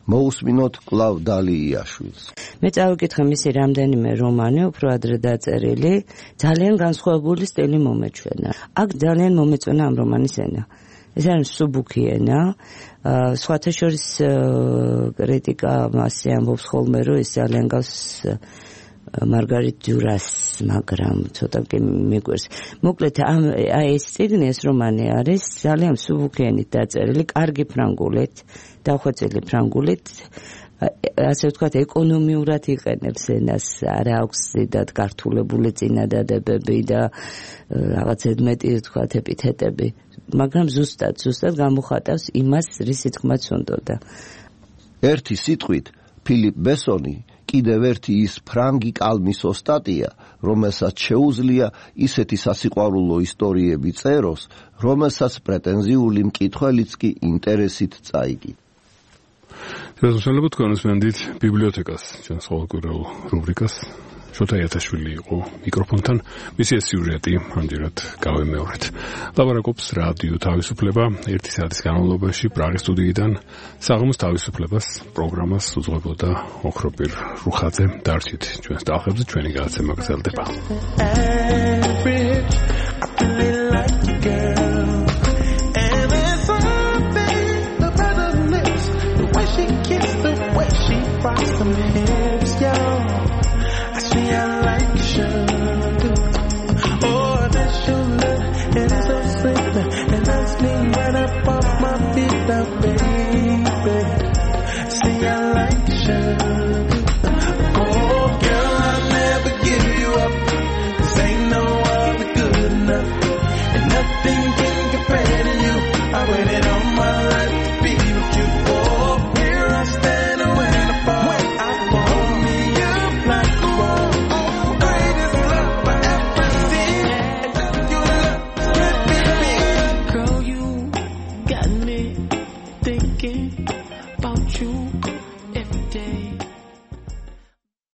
მოусმინოთ კлау დალი იაშვილს. მე წავიკითხე მისი რამდენიმე რომანი, უფრო ადრე დაწერილი, ძალიან განსხვავებული სტილი მომეჩვენა. აქ ძალიან მომეწონა ამ რომანის ენა. ეს არის სუბუქი ენა, სხვათა შორის კრიტიკა მასე ამბობს ხოლმე, რომ ეს ძალიან გავს მარგარიტ დიურას, მაგრამ ცოტა კი მიგვერს. მოკლედ აი ეს წიგნი, ეს რომანი არის ძალიან სუბუქიანით დაწერილი, კარგი ფრანგულით, დახვეწილი ფრანგულით, ასე ვთქვათ, ეკონომიურად იყენებს ენას, არ აქვს ზედად გართულებული წინადადებები და რაღაც მეტი ვთქვათ ეპითეტები, მაგრამ ზუსტად გამოხატავს იმას, რის თქმაც უნდოდა. ერთი სიტყვით, ფილიპ ბესონი კიდევ ერთი ის ფრანგი კალმის ოსტატია, რომელსაც შეუძლია ისეთი სასიყვარულო ისტორიები წეროს, რომელსაც პრეტენზიული მკითხველიც კი ინტერესით წაიგებს. შესაძლებლად თქვენსმენდით ბიბლიოთეკას, ჩვენს ყოველკვირეულ რუბრიკას. შოთა იათაშვილი იყო მიკროფონთან, მისი ეს სიუჟეტი ამჯერად გავემეორეთ. ლაპარაკობს რადიო თავისუფლება, 1 საათის განმავლობაში პრაღის სტუდიიდან. საღამოს თავისუფლებას პროგრამას უძღვებოდა ოქროპირ რუხაძე. დარჩით ჩვენს ტალღებზე, ჩვენი გადაცემა გრძელდება. hips, yo. I see I like